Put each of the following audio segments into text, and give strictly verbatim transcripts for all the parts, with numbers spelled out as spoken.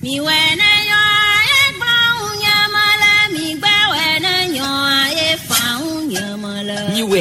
Miwɛ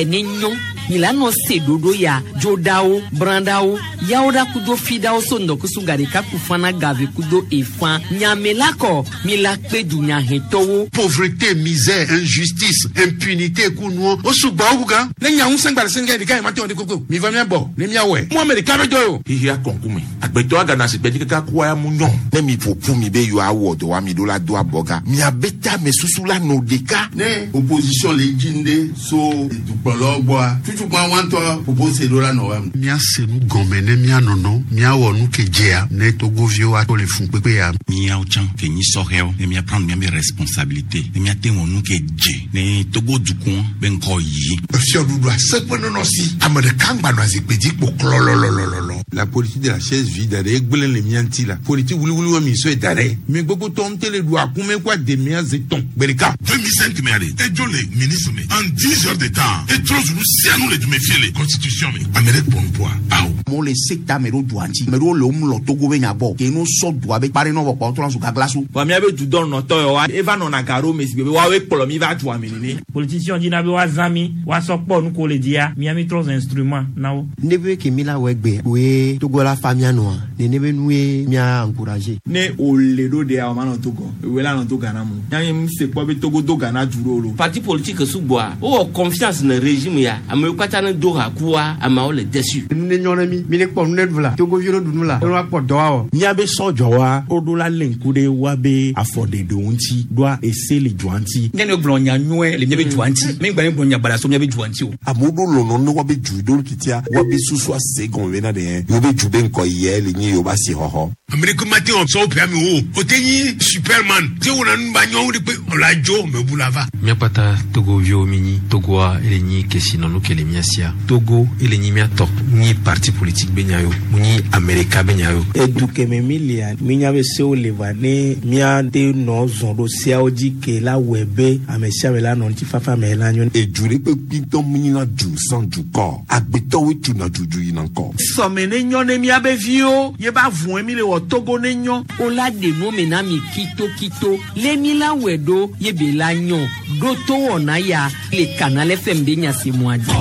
ne nyɔ milano se dodo ya dzodawo brandawo yawoɖa kudo fidawo so ŋdɔkusu gaɖeka kufana gave kudo efã nyamelakɔ mila kpe dunyahɛtɔwo. Pauvreté, misère, injustice, impunité kunuwo o sugbɔ wu gan. Ne nya ŋusẽ gba le sɛngɛ ɖeka yi ma te wɔ de koko mi va mia bɔ ne mia wɔe mu ame ɖeka be dɔ ye o. Xixia kɔnkume agbetɔ agana si gbɛdzi kaka kua ya mu nyɔ. Ne mi ƒoƒu mi be yewoawɔ dɔ wa mi ɖo la do abɔga miabe tame susu la nɔ ɖeka. Ne opposition le dzi ŋɖe so dukplɔlawo gbɔa tutukpa wantɔ propose ɖo la nɔ wa. Míase nu gɔme ne míanɔnɔ míawɔ nu ke dzea ne togoviwo ato le fun kpekpe ya. Míawo tsã ke nyi sɔhɛwo ne mía prendre míabe responsabilité ne míate wɔ nu ke dze ne Togo dukɔ be ŋkɔ yi. Fiɔɖuɖu aseƒe nɔnɔ si ame ɖeka ŋgba nɔ azikpui dzi kpo klɔlɔlɔlɔlɔ. La politique de la chaise vide ɖe egblẽ le mía ŋuti la politique wuliwuli wa mi sɔe da ɖe mi gbogbo tɔ ŋute le ɖu akume kó ademia ze tɔn gbe ɖeka. deux mille cinq mɛ ale edzo le ministre me en dix heures de temps etrɔ zunu sianu le dume fie le constitution me ame ɖe kpɔ nupoa awo. Amewo le sekta me ɖo dua ŋuti ame ɖewo le wo mlɔ Togo be nya gbɔ ke no sɔ dua be kpa ɖe nɔ vɔ kpɔ trɔ zu gagla so. Vɔ míabe dudɔnɔtɔ yawoa eva nɔna ga ɖo me si gbe be woawoe kplɔ mi va dua me nene. Politicien dina be woazã mi woasɔ kpɔ nu ko le dzia mía mi trɔ zu instrument na wo. Ne be ke mi la wɔ egbe woe Togo la fa mía nɔa nene be nue mía encourager. Ne wòle ɖo ɖea wòma nɔ Togo ewoe la nɔ to Ghana mu míabe mi se kpɔ be Togo do Ghana du ɖo lo. Parti politique sugbɔa wowɔ confiance ne régime ya amewo katã ne do ha kua ameawo le déçu. Nu ne nyɔ ne mi mi ne kpɔ nu ne ɖu la Togoviwo ne ɖu nu la ne woakpɔ dɔ awɔ. Míabe sɔdzɔwa woɖo la lé ŋku ɖe woabe afɔɖeɖewo ŋuti ɖoa ese le dua ŋuti. Ne ne gblɔ nya nyuie le míabe dua ŋuti mi gba ne gblɔ nya baɖa so míabe dua ŋuti o. Amewo ɖo lɔlɔ ne woabe du ɖo titia woabe susu ase gɔme bena ɖe yewo be du be ŋkɔ yɛ le nye yewo be asixɔxɔ. Ame ɖeke ma te wɔ sɔwo ƒe ame o o te nyi superman te wɔna nu ba nyɔwo de kpe ɔla dzo me bu la va. Míakpata togoviwo mi nyi Togoa ele nyi kesinɔnu ke le mía sia Togo ele nyi míatɔ nyi parti politique be nya yo mu nyi Amerika be nya yo. Edu kɛmɛ mi lia mínya be sewo le va ne míate nɔ zɔn ɖo seawo dzi ke la wɔe be ame sia ame la nɔ ŋutifafa me la nyo. Edu ɖe kpekpe ŋutɔ mu nyina du sans dukɔ agbetɔwoe tuna dudu yina ŋkɔ. Sɔme ne nyɔ ne míabe viwo ye ba vɔe mi le wɔ Togo ne nyɔ. O la ɖe nu me na mi kitokito le mi la wɔe ɖo ye be la nyɔ ɖo to wɔna ya le Canal F M be nyasemua dzi.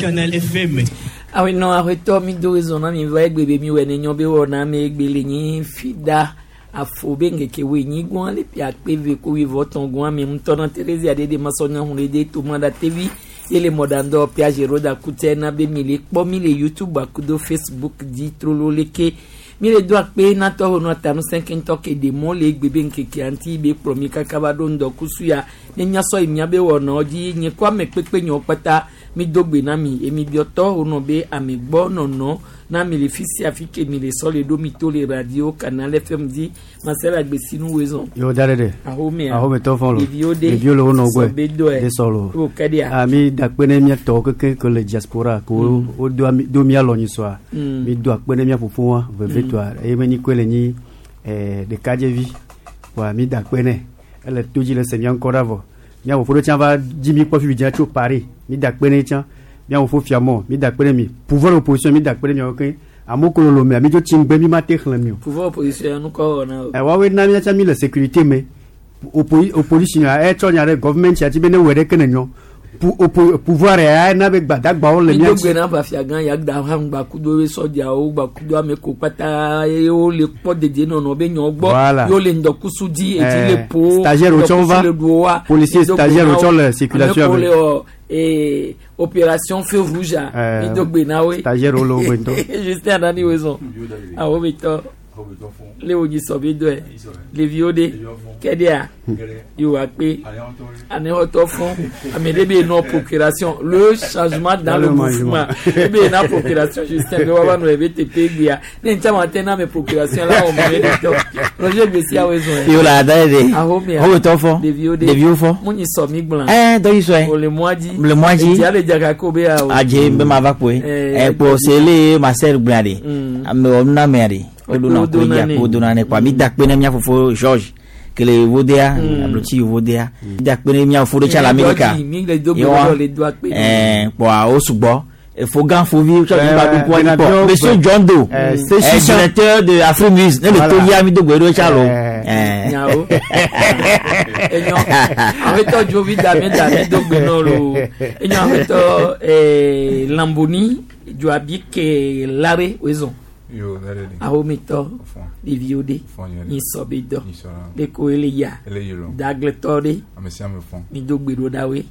Canal F M. Awenɔ aƒetɔ mi do ezɔ na mi va egbe be mi wɔ ne nyɔ be wɔna me egbe le nyi fida afo be ŋkeke wo enyi gbɔn le pi akpe ve ko wuieve etɔ̃ gbɔn ame ŋutɔ na Terezia ɖe ɖe masɔ nya hu ɖe de toma ɖa tevi ye le mɔɖaŋdɔ pia roda kutɛ na be mi le kpɔ mi le YouTube akudo Facebook dzi trolo leke mi le do akpe natɔ ho nɔ tanu sɛnkɛntɔ ke ɖe mɔ le egbe be ŋkekea ŋuti be kplɔ mi kaka va ɖo ŋdɔkusu ya ne miasɔ yi miabe wɔnawo dzi nye ko ame kpekpe nyawo kpata mi do gbe na mi emi biɔtɔ wonɔ be ame gbɔ nɔnɔ na mi le fi sia fi ke mi le sɔ le ɖo mi to le radio Canal F M dzi Marcel Agbesinu wezɔn. Yo da ɖe. Ahomea. Ahometɔ fɔn lo. Ɖeviwo de. Ɖeviwo le wo nɔ gbɔe. Sɔ be dɔe. De sɔ lo. O kɛ dia. Ah mi da kpe ne mía tɔwo keke ke le diaspora ko Mm. wo do ami do mía lɔ nyisɔa. Mm. Mi do akpe ne mía fofoa vevetɔa eye me nyi koe le nyi ɛɛ ɖekadzevi. Wa mi da kpe nɛ ele to dzi le se mía ŋkɔ ɖa vɔ. Mía fofo ɖe tsã va dzi mi kpɔ fifi dzia tso Paris mi da kpe ne tsã. Mía fofo fiamɔ mi da kpe ne mi. Pouvoir opposition mi da kpe ne miawo ke amewo ko lolo mea mi dzo tsi ŋgbe mi ma te xlẽ mi o. Pouvoir opposition nu kɔ wɔna o. Ɛ woawoe na mía tsã mi le sécurité me Oppo opposition ya etsɔ nya ɖe government ya dzi be ne wɔe ɖeke ne nyɔ Pou oppo pouvoir ya na be gbadagbawo le mi mía do dzi. gbe na bafia gã ya da hã gbakudo ye sɔdzawo gbakudo ame ko kpata ye wo le kpɔ dedienɔnɔ be nyɔ gbɔ Voilà. ye wo le ŋdɔkusu dzi edzi Eh, le po stagiaire wo tsɔ va. le ɖu wa Policier Mi do gbe stagiaire na wo tsɔ wo. le circulation ame ko ame. le wɔ ee opération feu rouge a Eh, mi do gbe na woe. Stagiaire wo le wo gbe ŋutɔ. Justin Adani wezɔn awo be tɔ le wo dzi sɔ be dɔe ɖeviwo de kɛɖia yewoa kpe anexɔtɔ fɔn ame ɖe be nɔ procuration le changement dans le Dans le mouvement ebe na procuration Justin be woava nɔ ebe teƒe gbea ne ŋutia ma te na ame procuration la wɔ me ɖe tɔ Roger Gbesi awo zɔn. Yo la da de. Ahomea. Ahometɔ fɔ. Ɖeviwo de. Ɖeviwo fɔ. Mu nyi sɔ mi gblã. Eh, dɔ yi sɔe. O le mɔa dzi. Le mɔa dzi. Edia le dzaka ko be ya o. Adze be ma va kpoe. Eh, Eh, kpo se le Marcel gblɔa de. Mm. Ame wɔ nunamea de. Woɖona Wo kpo dona dzi nɛ. akpo dona nɛ kpoa mi da kpe ne mía fofo George kele Yevodea Mm. ablotsi Yevodea. Mi da kpe ne mía fofo ɖe tsa le Mi Amerika. le do gbe Yewoa, le do akpe. Eh, kpoa wo sugbɔ. Fogan Fovi, Monsieur John Doe, directeur de Afrimus, ne le Togi ami do Chalo. Nyawo. Enyo. Aweto Jovi Dame Dame do Gbenolo. Enyo aweto eh Lamboni Joabi ke Lare Wezon. Yo, darede. Ahomito. Diviode. Nisobedo. Leko eleya. Dagletore. Mi do gbedo dawe.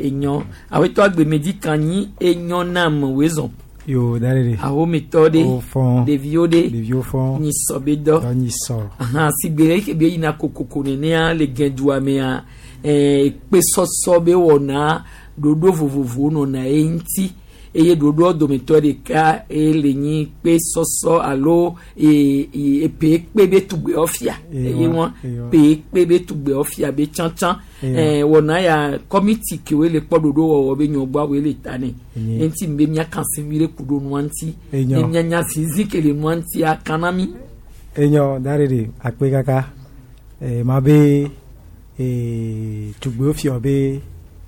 Enyo. Aweto agbe medikanyi enyo nam wezon. Yo, darede. Ahomitɔ de. Ɖeviwo de. Ɖeviwo fɔn. Nyisɔ be dɔ. Dɔ nyisɔ. Ahan sigbe ke be yina kokoko nenea le gɛdua mea ɛɛ kpesɔsɔ be wɔna ɖoɖo vovovowo nɔna ye ŋuti eye ɖoɖoa dometɔ ɖeka eye le nyi kpesɔsɔ alo ee ee epe kpe be tugbewo fia eye wɔn pe kpe be tugbewo fia be tsãtsã ɛɛ wɔna ya kɔmiti kewoe le kpɔ ɖoɖo wɔwɔ be nyɔgbɔawoe le ta nɛ ŋuti be miaka se vi ɖe ku ɖo nua ŋuti ne mianya zizi ke le nua ŋuti akana mi. Enyo darede akpe kaka ee ma be ee tugbewo fia be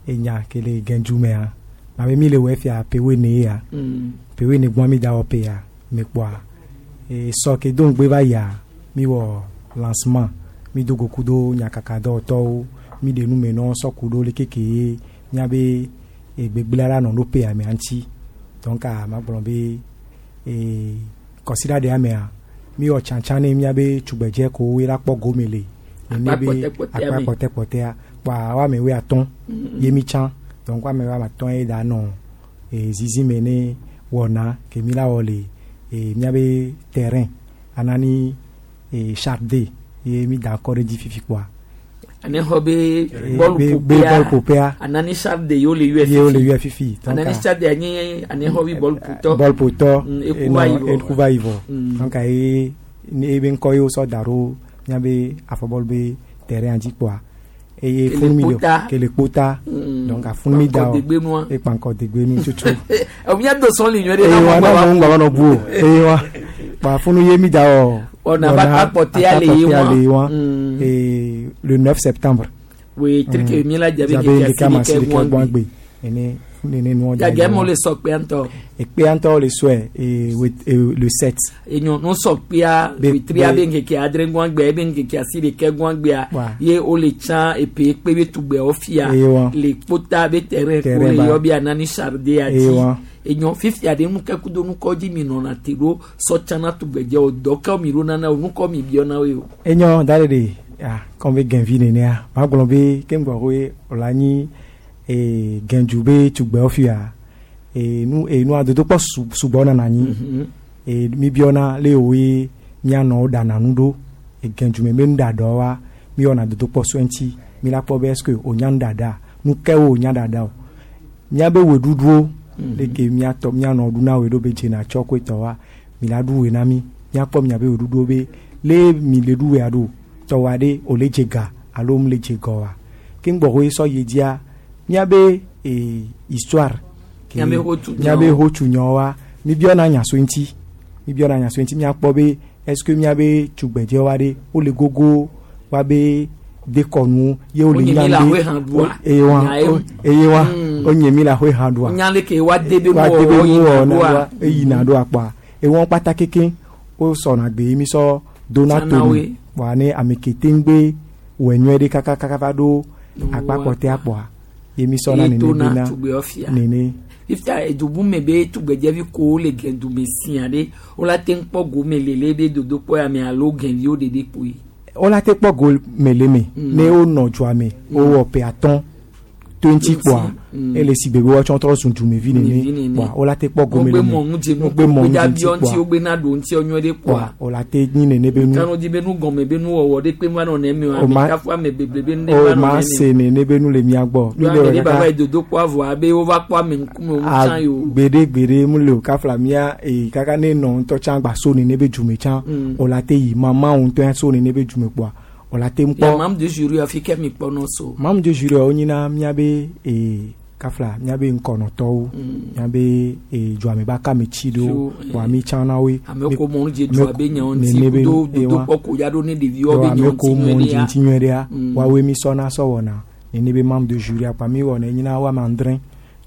enya ke le gɛnju mea. Ma be mi le wɔ fia pewe ne ya pewe ne gbɔn mi da wɔ pe ya mi kpɔa ee sɔ ke do ŋugbe va yia mi wɔ lancement mi do goku do nyakaka dɔwɔtɔwo mi de nu me nɔ sɔku ɖo le keke ye miabe egbegblẽ la nɔ ɖo pe ya mea ŋuti donc a ma gblɔ be ee kɔsiɖa ɖe ya mea mi wɔ tsatsa ne miabe tugbedze kowoe la kpɔ gome le nene be akpa kpɔtɛkpɔtɛa kpɔa woame woe atɔ̃ ye mi tsã. Donc ame wa matɔn ye da nɔ e zizi me ne wɔna ke mi la wɔ le e miabe terrain anani e charte ye mi da kɔ ɖe dzi fifi kpɔa. Ane xɔ be bɔlu bɔlu ƒoƒea. Anani charte yewo le yɔe fifi. Yewo le yɔe fifi. Anani charte anyi ane xɔ be bɔlu ƒotɔ. Bɔlu ƒotɔ ekuva va yi vɔ. Donc ye ebe ŋkɔ ye wosɔ da ɖo miabe afɔbɔlu be terrain dzi kpɔa. Eye funu mi do kele kpota donc afunu mi da o ekpankɔ degbenu tutu. Mía do sɔn li nyuie ɖe na mɔ gbaba na mɔ gbaba nɔ bu o eye wa kpa funu ye mi da o. Ɔna ba akpɔtɛa le ye wa ee le neuf septembre. Oui trike mi la jabe keke asi ɖeke gbɔn gbe ene nene nuɔ da. Gage mo le sɔ kpea ŋutɔ. Ekpea ŋutɔ le sɔe ee le sept. Enyo no sɔ kpea wetria be ŋkeke adre gbɔn gbea ebe ŋkeke asi ɖeke gbɔn gbea ye wo le tsã epe kpe be tugbeawo fia le kpota be terrain ko le yɔ be anani charde ati enyo fifia ɖe nukɛ kudo nukɔ dzi mi nɔna te ɖo sɔ tsana tugbedzewo dɔ kewo mi ɖo nana o nukɔ mi biɔ na wo o. Enyo da ɖe de ah kɔn be gɛnvi nenea ma gblɔ be ke ŋgbɔ koe wòle anyi. E gɛnju be tugbewo fia e nu e nua dodokpɔ sugbɔ nana anyi e mi biɔna le woe mianɔwo ɖana nu ɖo e gɛnju me be nuɖaɖa wa mi wɔna dodokpɔ so eŋuti mi la kpɔ be est-ce que wonya nuɖaɖa nu kewo wonya ɖaɖa o miabe wɔɖuɖuwo leke miatɔ mianɔ ɖuna woe ɖo be dzena tsɔ koe tɔ wa mi la ɖu woe na mi miakpɔ miabe wɔɖuɖuwo be le mi le ɖu woea ɖo tɔwa ɖe wòle dze ga alo mu le dze gɔ wa ke ŋgbɔ koe sɔ yi dzia miabe e histoire miabe hotsu nyɔ wa mi biɔna nya so ŋuti mi biɔna nya so ŋuti miakpɔ be est-ce que miabe tugbedze wa ɖe wole gogo wa be dekɔnu ye wole nya be eye wa eye wa wonye mi le ahoe hã ɖoa nya leke wa de be wa de be nuwɔ na ɖoa eyina ɖoa kpɔa ewɔn kpata keke wosɔna gbe mi sɔ dona tonu kpɔa ne ame ke te ŋgbe wɔ nyuie ɖe kakakaka va ɖo akpakpɔtea kpɔa ye mi sɔna nene bena nene. Fifia edubu me be tugbedzevi kowo le gɛdume sia ɖe wola te kpɔ gome lele be dodokpɔ ya me alo gɛviwo ɖeɖe kpoe. Wola te kpɔ gome le me ne wonɔ dzoa me wowɔ ƒe atɔ̃ twenty kpɔa ele si gbegbe woatsɔ trɔ zu dumevi nene kpɔa wola te kpɔ gome le me wogbe mɔ nu dze ŋuti kpɔa wogbe na ɖo ŋuti nyuie ɖe kpɔa wola te nyi nene be nu kanu di be nu gɔme be nu wɔwɔ ɖe kpe va nɔ neme o ame kafu ame beble be nu ɖe va o nɔ ma neme se nene be nu le mia gbɔ mi le wɔ kaka dodokpɔ avɔ abe wova kpɔ ame ŋkume wo tsã yi o gbeɖe gbeɖe mu le o kafla mia ee kaka ne nɔ ŋutɔ tsã gba so nene be dzume tsã wola te yi mama ŋutɔ so nene be dzume kpɔa wola te ŋkpɔ. Membre de jury afi ke mi kpɔ nɔ so. Membre de jury wo nyina miabe ee kafla miabe ŋkɔnɔtɔwo miabe ee dzuame ba kame tsi ɖewo wa mi tsã na woe. Ame ko mɔ dze dua be nyawo ŋuti kudo dodokpɔ ko ya ɖo ne ɖeviwo be nyawo ŋuti nyuie ɖea. Ŋuti nyuie ɖea woawoe mi sɔna sɔ wɔna nene be membre de jury akpa mi wɔna nyina woame adre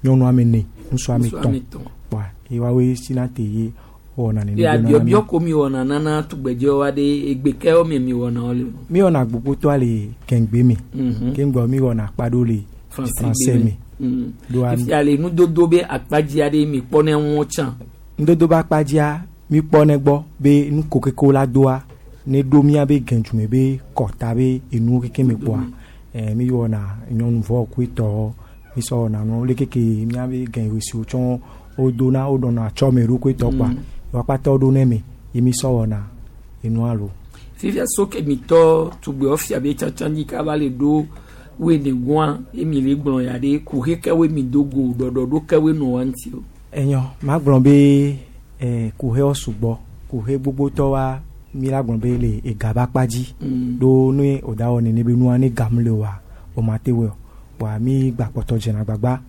nyɔnu ame ene ŋusu ame tɔn wa ye woawoe sina te ye wɔna nene Ya biɔbiɔ ko mi wɔna nana tugbedzewo aɖe egbe kewo mi mi wɔna wo le. Mi wɔna gbogbotɔa le kɛŋgbe me. Mhm. Keŋgbɔ mi wɔna akpa ɖewo le français me. Mm. Ɖoa Fifia le nudodo be akpadzi aɖe mi kpɔ ne ŋu tsã. nudodo be akpadzia mi kpɔ ne gbɔ be nuko keke la doa ne ɖo mía be gɛdzume be kɔta be enuwo keke me kpɔa eh, mi wɔna nyɔnuvɔ koetɔ mi sɔ wɔna nu le keke mía be gɛwesiwo tsɔ wodona woɖɔna atsɔme ɖo koetɔ kpɔa Mm. wakpatɔ ɖo ne me ye mi sɔ wɔna enua lo. Fifia so ke mi tɔ tugbewo fia be tsatsa dzi kaba le ɖo woe ne gɔa ye mi le gblɔ ya ɖe kuxe kewoe mi do go ɖɔɖɔɖo kewoe nɔ wa ŋuti o. Enyɔ magblɔ be eh, kuxewo sugbɔ kuxe gbogbotɔ wa mi la gblɔ be le ega be akpa dzi Mm. ɖo ne wòda wɔ nene be nua ne gam le oa o ma te wɔe o kpoa mi gba kpɔtɔ dzena agbagba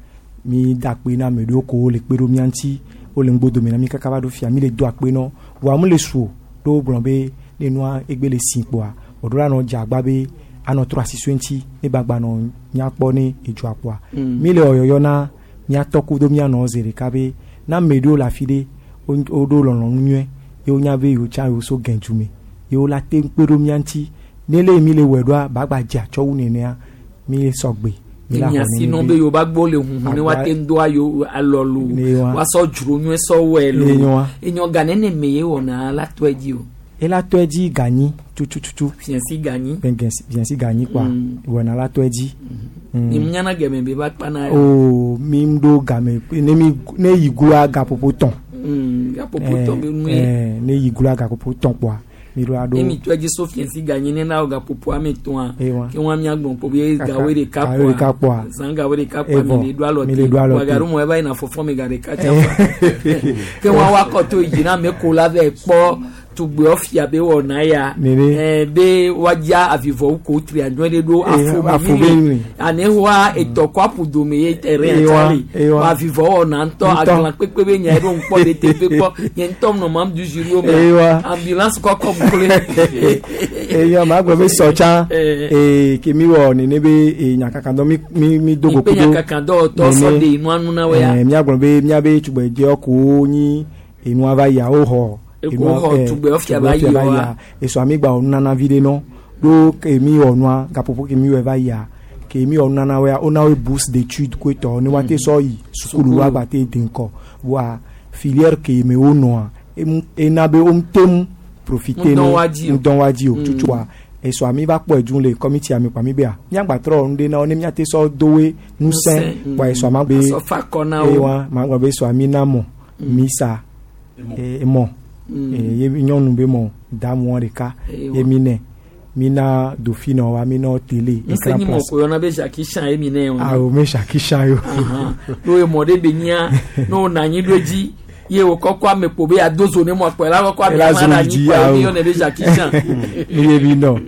mi da akpe na ame ɖewo ko le kpe ɖo mía ŋuti wole ŋgbodome na mi kaka va ɖo fia mi le do akpe nɔ voa mu le su o ɖo wo gblɔ be ne nua egbe le si kpoa wòɖo la nɔ dze agba be anɔ trɔ asi so eŋuti ne gbagba nɔ nyakpɔ ne edzoa kpoa Mm. mi le wɔyɔyɔ na míatɔ kudo míanɔ zi ɖeka be na ame ɖewo le afi ɖe wo woɖo lɔlɔ̃nu nyuie ye wonya be yewo tsã yewo so gɛdzu me ye wo la te ŋu kpe ɖo mía ŋuti ne le mi le wɔe ɖoa bagba dze atsɔ wu nenea mi sɔgbe mi la xɔ Miasi nene nɔ be be yewo ba gbɔ le huhu ne woate ŋu do ayo alɔ lo Ne wa. woasɔ dzro nyuie sɔ wɔe lo Ne wa. enyɔ ga nene me ye wɔna la tɔe dzi o. ela tɔe dzi ganyi tutututu Fiɛsi ganyi. fiɛsi ganyi kpoa Mm. wɔna la tɔe dzi. Mm. Mi miana gɛmɛ be ba kpana ya. o mi ɖo game ne mi ne yi gloa gaƒoƒo tɔn. Mm, gaƒoƒo tɔn be nu ye. Eh, ne yi gloa gaƒoƒo tɔn kpoa mi ɖo aɖo. Ne mi tɔe dzi so fiɛsi ganyi ne na wɔ gaƒoƒo ame etɔ̃a. Ewa. Ke wɔn miagbɔn kpo be Kaka- gawoe ɖeka gawoe ɖeka kpoa. Zã gawoe ɖeka kpoa Evɔ. mi le ɖo alɔ Mi le ɖo alɔ te. te. Gaɖo mɔ eva yina fɔfɔ mi ga ɖeka tsa fa. Ke wɔn wakɔ to yi dzi na ame ko la vɛ kpɔ tugbewo fia be wɔna ya. Nene. Eh, be woadza avivɔwo ko tri anyɔ ɖe ɖo Eh, afo afo mi be le. mi. Ane wa etɔ kɔ aƒu dome ye terrain Ewa, atsa le. ewa. Wa avivɔ wɔna ŋutɔ Ŋutɔ. agblã kpekpe be nya ɖo ŋkpɔ ɖe teƒe kpɔ. Nye ŋutɔ nɔ mam du jury wo me. Ewa. Ambulance kɔkɔ mu kple. eya ma gblɔ be sɔ tsã Eh. ee ke mi wɔ nene be ee nyakakadɔ mi mi mi do go Ikpe kudo nyakakadɔwɔtɔ sɔ de nua nu na wo ya. Eh, míagblɔ be míabe tugbedzewo kowo nyi enua va yia wo xɔ Eko xɔ tugbewo fia va yi wa. esɔ ami gba wɔ nunana vi ɖe nɔ ɖo ke mi wɔ nua gaƒoƒo ke mi wɔ va yia ke mi wɔ nunana woa wona wo bourse d'étude koe tɔ ne woate sɔ yi sukulu woagba te de ŋkɔ voa filière ke me wonɔa emu ena be wo te ŋu profiter ne Ŋudɔ wa dzi o. ŋudɔ wa dzi o Mm. tutua esɔ ami va kpɔe dzu le kɔmiti ame kpa mi bea míagba trɔ nu ɖe na wo ne míate sɔ dowe ŋusẽ Ŋusẽ, mm. kpa esɔ ama be Asɔ fa akɔ na wo. ewa ma gblɔ be esɔ ami na mɔ misa e mɔ Mm. Eh, ye nyɔnu be mɔ da mɔ ɖeka Ewa. ye mi nɛ mi na dauphine wa mi na télé Ŋusẽ écran nyi mɔ plat ko yɔna be Jackie Chan ye mi nɛ o. awo me Jackie Chan yo N'o ye mɔ ɖe be nyia ne wo nɔ anyi ɖo edzi ye wo kɔkɔ ame kpo be ado zo ne mɔ kpɔ ela kɔkɔ ame Ela ma zo ɖe anyi dzi, kpɔ ye mi awo. yɔnɛ be Jackie Chan. mi ye mi nɔ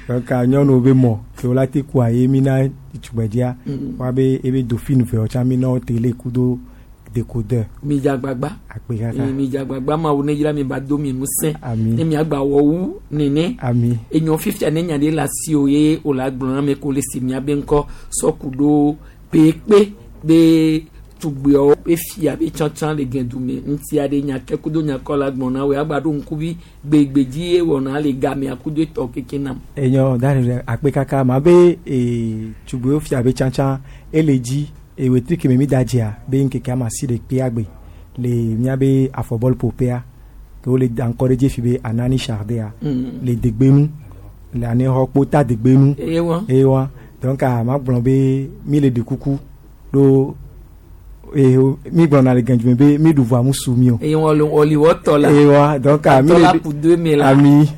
donc a nyɔnuwo be mɔ ke wo la te kua ye mi na tugbedzea Mm. wa be ebe dauphine vewo tsã mi na télé kudo décodeur Mi dze agbagba. akpe kaka Eh, Mi dze agbagba mawu ne dzra mi ba do mi ŋusẽ. Ami. Ne miagba wɔ wu nene. ami Enyɔ fifia ne nya ɖe le asi o ye o la gblɔ na ame ko le si miabe ŋkɔ sɔku ɖo pekpe be tugbeawo be fia be tsãtsã le gɛdume ŋuti aɖe nya ke kudo nya kɔ la gblɔ na wo agba ɖo ŋkuvi gbegbedzi ye wɔna le gamea kudo etɔ keke nam. enyɔ da ɖe akpe kaka ma be ee tugbewo fia be tsãtsã ele dzi ewetri keme mi da dzia be ŋkeke ama si ɖe kpea gbe le miabe afɔbɔl ƒoƒea ke wole da ŋkɔ ɖe dzi fi be anani chardea Mm. le degbenu le anexɔ kpota degbenu Ewa. ewa donc a ma gblɔ be mi le ɖe kuku ɖo ee mi gblɔna le gɛnjume be mi ɖu vɔa mu su mi o Eye wɔli wɔliwɔtɔ la. ewa donc a mi Atɔ le la ku do eme la. ami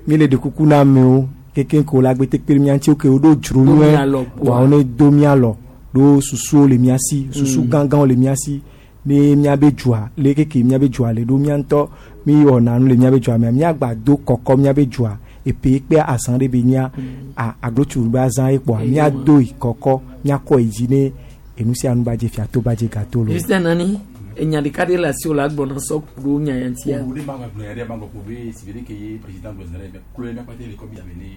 mi le ɖe kuku na amewo keke ko la gbete kpe ɖe mía ŋuti wo ke woɖo dzro Do nyuie mía lɔ kpoa. wa wo ne do mía lɔ ɖo susuwo le mía si susu Mm. gãgãwo le mía si ne míabe dzoa le keke míabe dzoa le ɖo mía ŋutɔ mi wɔna nu le míabe dzoa mea míagba do kɔkɔ míabe dzoa epe kpe azã ɖe be nya a aglotsu be azã ye kpoa Eyi míado yi kɔkɔ míakɔ yi dzi ne enu sia nu ba dze fia to ba dze gato lo. Justin nani enya ɖeka ɖe le asi o la gblɔ na sɔku ɖo nya ya ŋutia. O de ma gblɔ ya ɖe ma gblɔ ko be si be ke ye président gblɔ zɛrɛ mɛ kulo mɛ kpate le kɔmi ame ne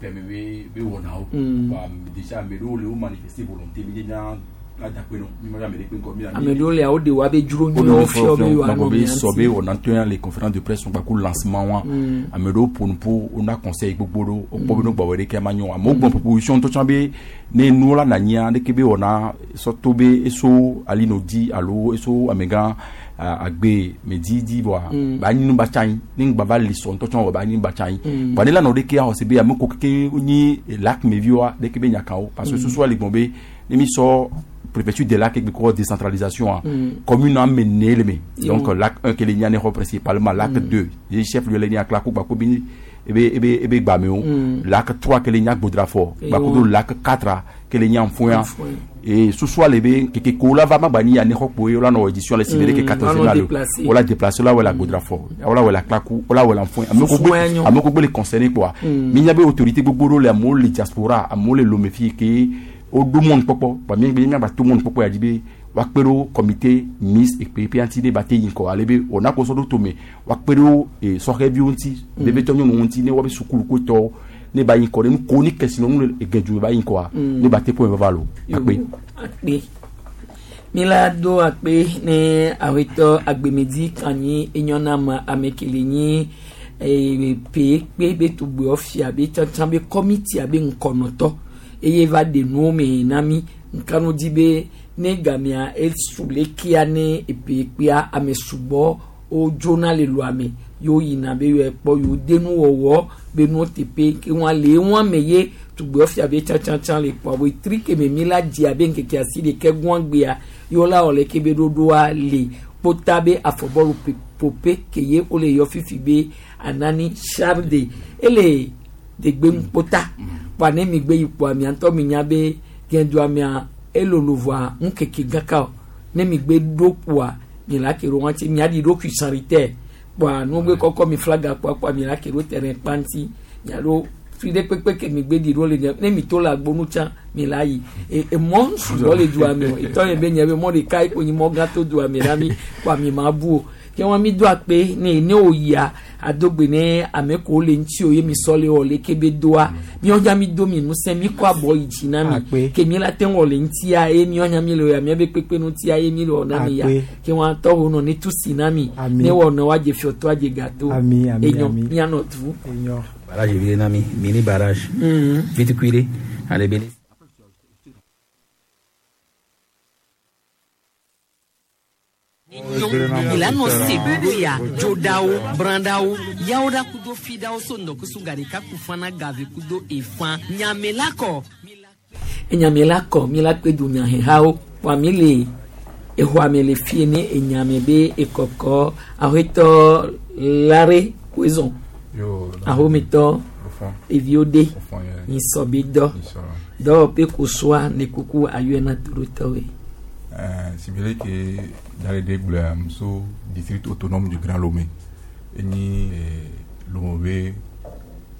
pɛmɛ be be wɔnawo. Mm. Wa déjà ame ɖewo le wo manifester volonté mi nye nya Ame ɖewo lia woɖe wa be dzro nyuiwo fiɔ be yewoanɔ be mia sɔ be ŋuti. wɔna ŋutɔ ya le conférence de presse kpakple lancement wa Mm. ame ɖewo ƒo nu ƒo wona conseil gbogbo ɖewo wokpɔ be no gbɔwɔ ɖeke ma nyo amewo gblɔ proposition ŋutɔ tsã be ne nuwo la nanyia ɖeke be wɔna sɔ to be eso alino di alo eso amegã a- agbe me di di vɔa Mm. ba nyi nu ba tsa anyi ne ŋgba va li sɔ ŋutɔ tsã wɔ ba nyi nu ba tsa anyi Mm. vɔa ne la nɔ ɖeke axɔ se be ame ko keke nyi lac meviwoa ɖeke be nyakawo parce que Mm. susua le gbɔn be ne mi sɔ préfecture de lac egbe kɔ décentralisation a Mm. commune ame ne le me Yo. donc lac un kele nya ne xɔ principalement lac Mm. deux ye chef lieu le nya kla ko gbako bi ebe ebe ebe gbamewo Mm. lac trois kele nya gbodrafɔ Yo. gbako do lac quatre kele nya nfoya Nfoya. et susua le be keke ko la va ma gba ni ya ne xɔ kpoe wola nɔ édition le sibere ke Mm, quatorze woanɔ la le déplacé. wola déplacé wola wɔ la gbodrafɔ wola wɔ la klaku wola wɔ la nfoya ame ko Susu ya gbe nyo. ame ko gbe le concerné kpoa Mm. mi nya be autorité gbogbo ɖewo le amewo le diaspora amewo le lome fi ke woɖo mɔnu kpɔkpɔ ba mi mi miagba to mɔnu kpɔkpɔ ya dzi be woakpe ɖo comité miss ekpe ŋuti ne ba te yi ŋkɔ ale be wòna ko sɔ ɖo tome woakpe ɖo eh, sɔhɛviwo ŋuti Mm. bebetɔ nyɔnuwo ŋuti ne woabe sukulu ne ba yi ŋkɔ ɖe nu ko ni kesinɔnu le egedzu ba yi ŋkɔa Mm. ne ba te ƒome vava lo akpe. akpe mi la do akpe ne awetɔ agbemedi kanyi enyɔnama ame kele nyi eh, pe kpe be tugbewo fia be tsãtsã be kɔmitia be ŋkɔnɔtɔ eye va ɖe nuwo me na mi nkanu dzi be ne gamea esu lekia ne epe kpea ame sugbɔ wodzona le loa me yewo yina be yewo kpɔ yewo de nuwɔwɔ be nuwo teƒe ke wọn le wọn me ye tugbewo fia be tsãtsãtsã le kpɔ abo tri ke me mi la dzi abe ŋkeke asi ɖeke gbɔn gbea yewo la wɔ leke be ɖoɖoa le kpota be afɔbɔlu pe- pope ke ye wole yɔ fifi be anani charde ele degbe ŋkpota kpoa ne mi gbe yi kpoa mia ŋutɔ mi nya be gɛndoa mia elolo voa ŋkeke gãka o ne mi gbe ɖo kpoa mi la ke ɖo ŋuti mia ɖi ɖokui sanitaire kpoa nugbe kɔkɔ mi flaga kpoa kpoa mi la ke ɖo terrain kpa ŋuti mia ɖo fi ɖe kpekpe ke mi gbe ɖi ɖo le nye ne mi to le agbonu tsã mi la yi e emɔ sugbɔ le dua me o etɔ nye be nye be mɔ ɖeka yi ko nyi mɔ gã to dua me la mi kpoa mi ma bu o ke wɔn mi do akpe ne ne wo yia adogbe ne ame ko le ŋuti o ye mi sɔ le wɔ leke be doa miɔ nya mi do mi ŋusẽ mi kɔ abɔ yi dzi na mi Akpe. ke mi la te wɔ le ŋutia ye miɔ nya mi le wɔ ya mia be kpekpe ŋutia ye mi le wɔ na mi ya Akpe. ke wɔn atɔ wo nɔ ne tu si na mi Ami. ne wɔ nɔ wa dze fiɔtɔ adze gato Ami, ami, enyo ami. mianɔ du. Enyo. Barrage vile nami, mini barrage. Mhm. Vite cuire, allez bene. Ìlànà sèbúya dzodawo brandawo yawoɖa kudo fidawo so ŋdɔkusu gaɖeka kufana gavi kudo efã nyamela kɔ. Enyamela kɔ mi la kpe dunyahehawo wa mi le exɔa me le fie ne enyame be ekɔkɔ ahoetɔ lare koezɔn Yo, ahometɔ Ofɔn. eviwo de Ofɔn, yeah. nyisɔ be dɔ dɔwɔƒe kosoa ne kuku ayɔna torotɔwoe. Euh, Sibele ke Dalede gblɔa so district autonome du Grand Lomé. Enyi eh, Lomé be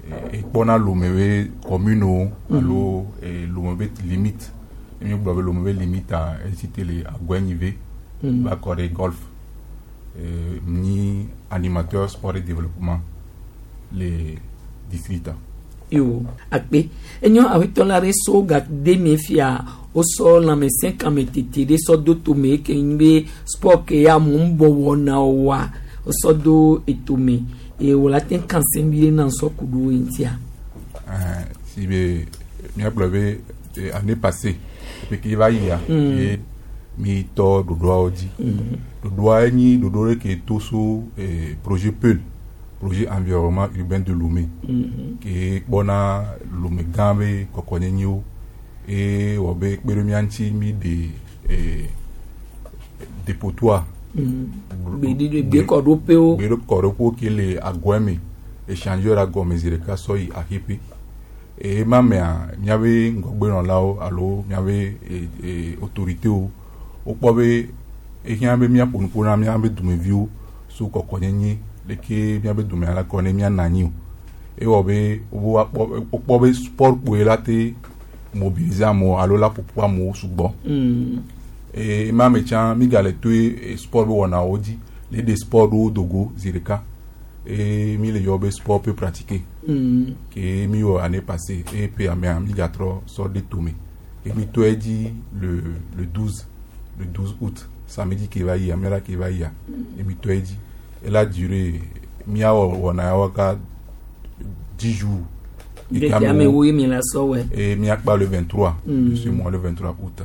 eh, ekpɔna Lomé be commune wo Mhm. alo eh, Lomé be limite. Emi gblɔ be Lomé be limite a esite le Agɔnyive Mhm. va kɔ ɖe golf. Eh, nyi animateur sport et développement le district a. yo akpe enyo awetɔ la ɖe so gade me fia wosɔ lãmesẽ kametete ɖe sɔ do tome ke nyi be sport ke ya amewo ŋbɔ wɔna wa wosɔ do etome eye wòle ate ŋu kan se vi ɖe na sɔ ku ɖo ŋutia. Euh, si be míagblɔ be eh, année passée peke va yia Mm. ye mi tɔ ɖoɖoawo dzi Mhm. ɖoɖoa nyi ɖoɖo ɖe ke to so eh, projet PEUL projet environnement urbain de Lomé Mhm. ke kpɔna Lomé gã be kɔkɔnyenyiwo eye wɔ be kpe ɖe mía ŋuti mi ɖe eh, dépotoir Mhm. Gbeɖiɖe gbekɔɖoƒewo. gbekɔɖoƒewo ke le agɔe me échangeur agɔme zi ɖeka sɔ yi axiƒe eye ma mea míabe ŋgɔgbenɔlawo alo míabe e, e, autoritéwo wokpɔ be ehiã be míaƒo nuƒo na míabe dumeviwo so kɔkɔnyenye leke míabe dumea la kɔ ne míanɔ anyi o ewɔ be wo akpɔ wokpɔ be sport kpoe la te mobiliser amewo alo la ƒoƒu amewo sugbɔ Mm. eye ma me tsã mi gale toe eh, sport be wɔnawo dzi le ɖe sport ɖewo dogo zi ɖeka eye mi le yɔ be sport peu pratiquer Mm. ke mi wɔ année passée eye ƒe amea mi gatrɔ sɔ ɖe tome Ke mi tɔ edzi le le douze le douze août, samedi ke va yia, miala ke va yia, ye mi tɔ edzi. Ela duré miawɔ wɔna yawo ka dix jours. Ŋkeke amewo ye mi la sɔ wɛ. Et miakpa le vingt-trois Mm. de ce mois, le vingt-trois août.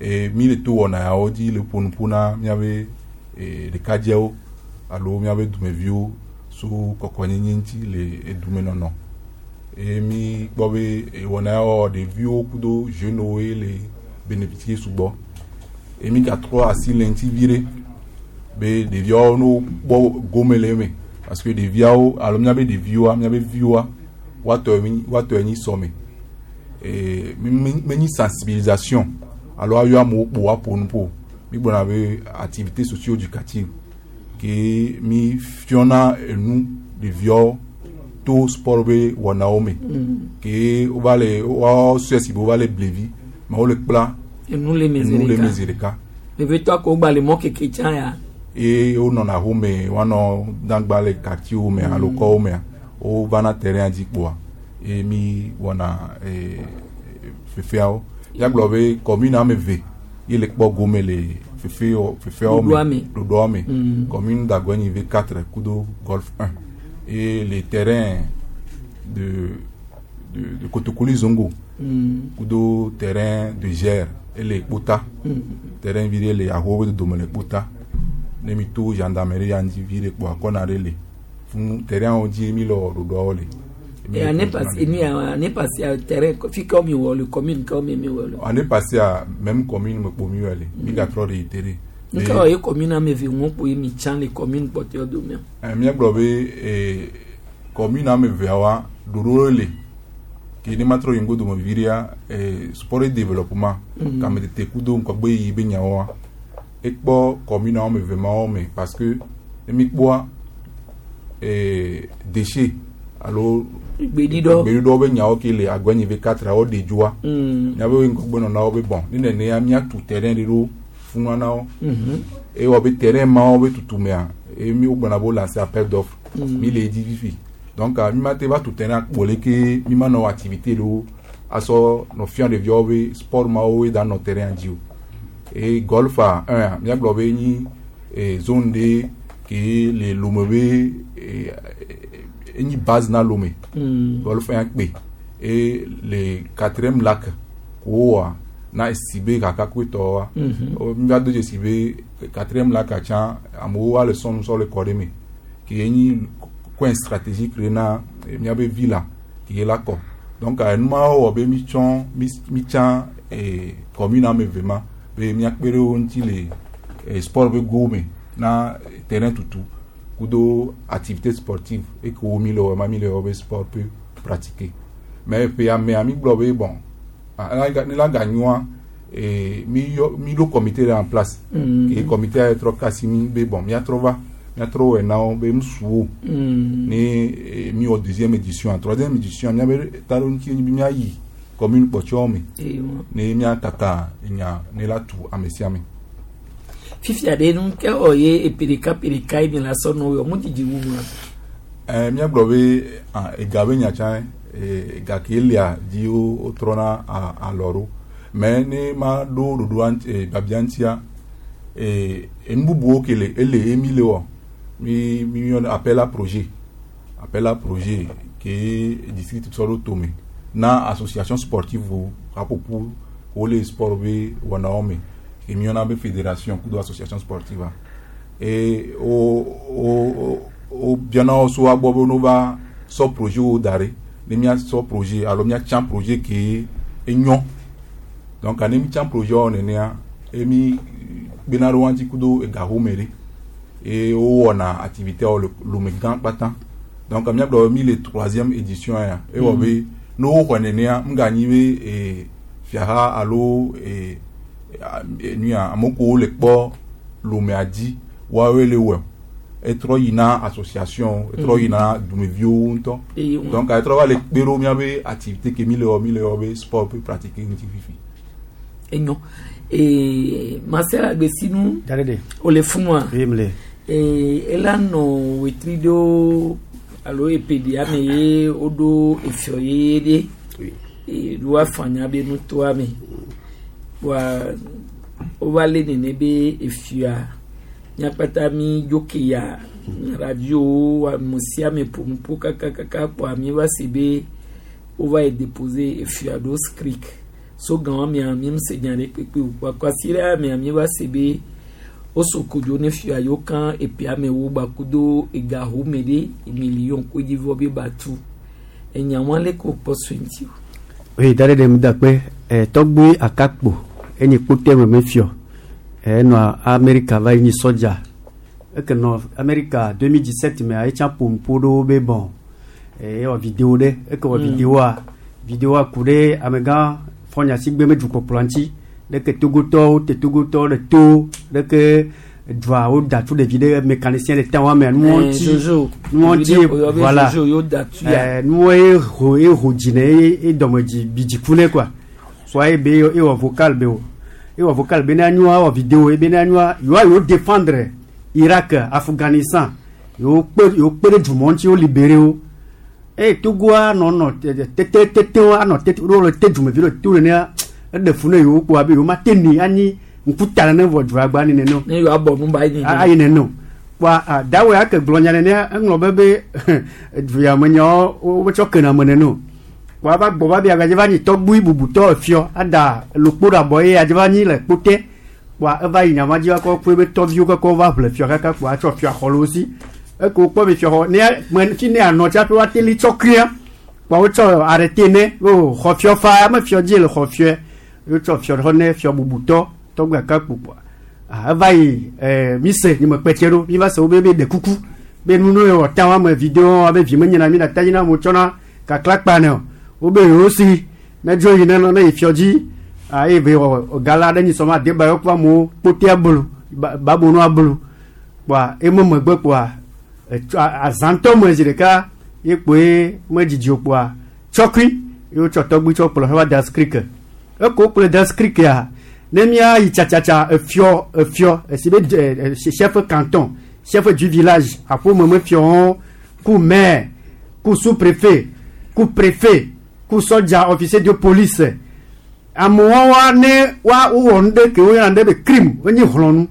Et mi le to wɔna yawo dzi le ƒonuƒo na miabe eh, ɖekadzewo alo miabe dumeviwo so kɔkɔnyenye ŋuti le edumenɔnɔ. Eye mi kpɔ be eh, wɔna yawo ɖeviwo kudo jeunewo ye le bénéficier sugbɔ. Eye mi gatrɔ asi le ŋuti vi ɖe be ɖeviawo no kpɔ gome le eme, parce que ɖeviawo alo miabe ɖeviwoa, miabe viwoa, woatɔ nyi woatɔ nyi sɔme. Eh, mi mi- menyi sensibilisation alo ayɔ amewo kpo woaƒo nu ƒo. Mi gblɔna be activité socio-éducative ke mi fiɔna enu ɖeviawo to sport be wɔnawo me. Mm. Ke wova le woawo sɔe si be wova le blevi mais wole kpla enu le me enu le me zi zi ɖeka. ɖeka. Vevitɔ ko gba le mɔ keke tsã ya. Eye wonɔna home, woanɔ dagba le quartier me alo kɔwo mea, wovana terrain dzi kpoa eye mi wɔna eh, fefeawo. Míagblɔ be commune ame eve ye le kpɔ gome le fefe fefeawo Ɖoɖoa me me. Ɖoɖoa me. Mm. Commune d'Agoenyi V quatre kudo Golf un et les terrains de de, de Kotokoli Zongo Mm. kudo terrain de Gère ele Kpota. Mm. Terrain vi ɖe le ahowo be dodome le Kpota. Ne mi to gendarmerie ya ŋuti vi ɖe kpoa kɔna ɖe le fún terrain wo dzi mi le wɔ ɖoɖoawo le. Et année passée, ni année passée, à terrain, fi ka mi wɔ le commune ka mi mi wɔ le. Année passée a même commune me kpo mi wɔ le, mi gatrɔ réitéré. Nka wɔ ye commune ame eve ŋu kpo ye mi tsã le commune kpɔtɔe dome. Eh, míagblɔ be eh, commune ame eveawoa, ɖoɖo le ke ne matrɔ yi ŋgodo me vi ɖea, eh, sport et développement Mm. kametete kudo ŋgɔgbe yi be nyawoa, ekpɔ commune ame eve mawo me, parce que ne mi kpɔa eh, déchet alo Gbeɖiɖɔ. Gbeɖiɖɔ be nyawo ke le Agɔnyi V quatre wo ɖe dzoa, Mm. miabe ŋgɔgbenɔlawo be bon, ne nenea miatu terrain ɖe ɖo funua na wo. Mhm. Eye wɔ be terrain mawo be tutumea, eye mi wogblɔna be wo lancer appel d'offre. Mm. Mi le edzi fifi, donc ah, mi ma te va tu terrain kpo leke mi ma nɔ activité ɖewo asɔ nɔ fia ɖeviawo be sport mawo ye da nɔ terrain dzi o. Eye Golf a un a, míagblɔ be nyi eh, zone ɖe ke le Lome be eh, enyi base na Lome. Mm. Golf un kpe eye le quatrième lac ko wowɔa na esi be kakakui tɔwoa. Mhm. O, mi va do dzesi be quatrième lac tsã amewo va le sɔnu sɔ le kɔ ɖe me ke enyi coin stratégique ɖe na eh, míabe villa ke la kɔ. Donc eh, numawo wɔ be mi tsɔ mi mi tsã eh, commune ame eve ma be míakpe ɖe wo ŋuti le eh, sport be go me na terrain tutu kudo activité sportive eke wo mi le wɔ ma mi le wɔ be sport peut pratiquer. Mais ƒe amea mi gblɔ be bon, ah, ne la ganyoa, eh, mi yɔ mi ɖo comité ɖe en place. Mm. Ke comité ya trɔ kasi mi be bon, miatrɔ va miatrɔ wɔe na wo be nusuwo. Mm. Ne eh, mi wɔ deuxième édition, troisième édition, miabe ta ɖo ŋuti be miayi commune kpɔtɔewo me Eye wɔ. ne miakaka nya ne la tu ame sia ame. Fifia ɖe nu ke wɔ ye epe ɖeka pe ɖeka ye mi la sɔ nɔ wɔ mu didi wu ma. Eh, míagblɔ be ah, ega be nya tsã, eh, ega ke lia dzi wo wotrɔna a- alɔ ɖo, mais ne ma ɖo ɖoɖoa ŋuti, eh, biabia ŋutia, eh, enu bubuwo ke le ele ye mi le wɔ mi mi yɔna appel à projet appel à projet ke district sɔ ɖo tome na association sportive wo haƒoƒu wole sport be wɔnawo me ke mi yɔna be fédération kudo association sportive a eye wo wo wo biana wo so woagbɔ be no va sɔ projet wo da ɖe ne míasɔ projet alo míatsã projet ke enyɔ. Donc ne mítsã projet wo nenea, eye mi kpena ɖe wo ŋuti kudo ega home ɖe eye wowɔna activité wo le Lome gã kpata. Donc míagblɔ be mi le troisième édition ya, ewɔ be ne woxɔe nenea, ŋganyi be eh, fiaha alo eh, eh, nuya ame kewo le kpɔ Lomea dzi woawoe le wɔe, etrɔ yina association, etrɔ yina dumeviwo ŋutɔ. Eye wɔ. Donc etrɔ va le kpe ɖo míabe activité ke mi le wɔ mi le wɔ be sport peut pratiquer ŋuti fifi. Enyo. Ee, Marcel Agbesinu. Darede. O le funua. Oui, mle. Ee, ela nɔ wetri ɖo alo epeɖia me ye woɖo efiɔ yeye ɖe. Ee, ɖo afanya be nutoa me. Wa wova lé nene be efia míakpata mi dzoke ya radio ame sia ame ƒonuƒo kakakaka kpoa mi va se be wova yi déposer efia ɖo SCRIC so gan wa mia mi se nya ɖe kpekpe o kpoa kwasiɖa mia mi va se be woso kodzo ne fia yiwo kan epia amewo gbakudo ega home ɖe million kodzivɔ be batu enya wa leke wokpɔ so ŋuti o. Oui, dare de mudakpe eh, tɔgbui akakpo enyi kpote me mefiɔ enɔ Amerika va yi nyi sɔdza eke nɔ Amerika deux mille dix-sept mea etsã ƒo nuƒo ɖewo be bon eh, ewɔ vidéo ɖe eke wɔ Mm. vidéoa vidéoa ku ɖe amegã fɔnyasigbe me dukɔkplɔ ŋuti ɖeke togotɔwo te togotɔwo ɖe to ɖeke dua wo da tu ɖevi ɖe mécanicien ɖe ta wɔmea nuwɔ Eh, ŋuti Jojo. nuwɔ ŋuti Vidéo- oyɔ be voilà. Jojo yo da tu ya. Eh, nuwo ye ho ye ho dzi ne ye ye dɔme dzi bi dziku ne quoi soit ye be ye wɔ vocal be o ye wɔ vocal be ne anyoa wɔ vidéo ye be ne anyoa yewoa yewo défendre Irak, Afghanistan yewo kpe yewo kpe ɖe dumɔ ŋuti wo libéré wo eye Togoa nɔ nɔ tete tete wo anɔ tete wo le te dumevi le to nenea eɖe fu ne yewo kpoa be yewo ma te ni anyi ŋkuta nene vɔ dua gba ni nene o ne yewoa bɔ nu ba yi nene. ayi nene o kpoa ah, dawe ake gblɔ nya nenea eŋlɔ be be du ya me nyawo wo wotsɔ kena me nene o kpoa va gbɔ va be agadze va nyi tɔgbui bubutɔ efiɔ ada lokpo ɖe abɔ ye adze va nyi le kpote kpoa eva yi nyama dzi va kɔ kpe be tɔviwo kɔkɔ va ʋle fiɔ kaka kpoa atsɔ fiɔ xɔ le wo si eke wokpɔ be fiɔ xɔ ne me fi ne anɔ tsaƒe woate li tsɔ kria kpoa wotsɔ arrêté ne o xɔ fiɔ fa ame fiɔ dzi le xɔ fiɔe wotsɔ fiɔ xɔ ne fiɔ bubutɔ tɔgbui akakpo kpoa ah, eva yi ɛɛ mi se nye me kpɛtse ɖo mi va se wo be be ɖe kuku be nu ne wɔ ta wa me vidéo abe vi me nyina mi na ta dzi na mo tsɔna kakla kpa ne o wo be yewo si ne dzo yi ne nɔ ne yi fiɔ dzi ah eye be wɔ gala ɖe nyi sɔma de ba yɔ kpa amewo kpote abolo ba babonu abolo kpoa eme megbe kpoa etsɔ azãtɔ me zi ɖeka ye kpoe me dzidzi o kpoa tsɔkui ye wotsɔ tɔgbui tsɔ kplɔ heva da SCRIC eko wokplɔe da SCRIC ya ne mía yi tsatsatsa efiɔ efiɔ esi be ɛ ɛ chef canton, chef du village aƒome me fiɔwo ku maire ku sous préfet ku préfet ku sɔdza officier de police amewo wa ne wa wowɔ nu ɖe ke woyɔna ɖe be crime enyi hlɔnu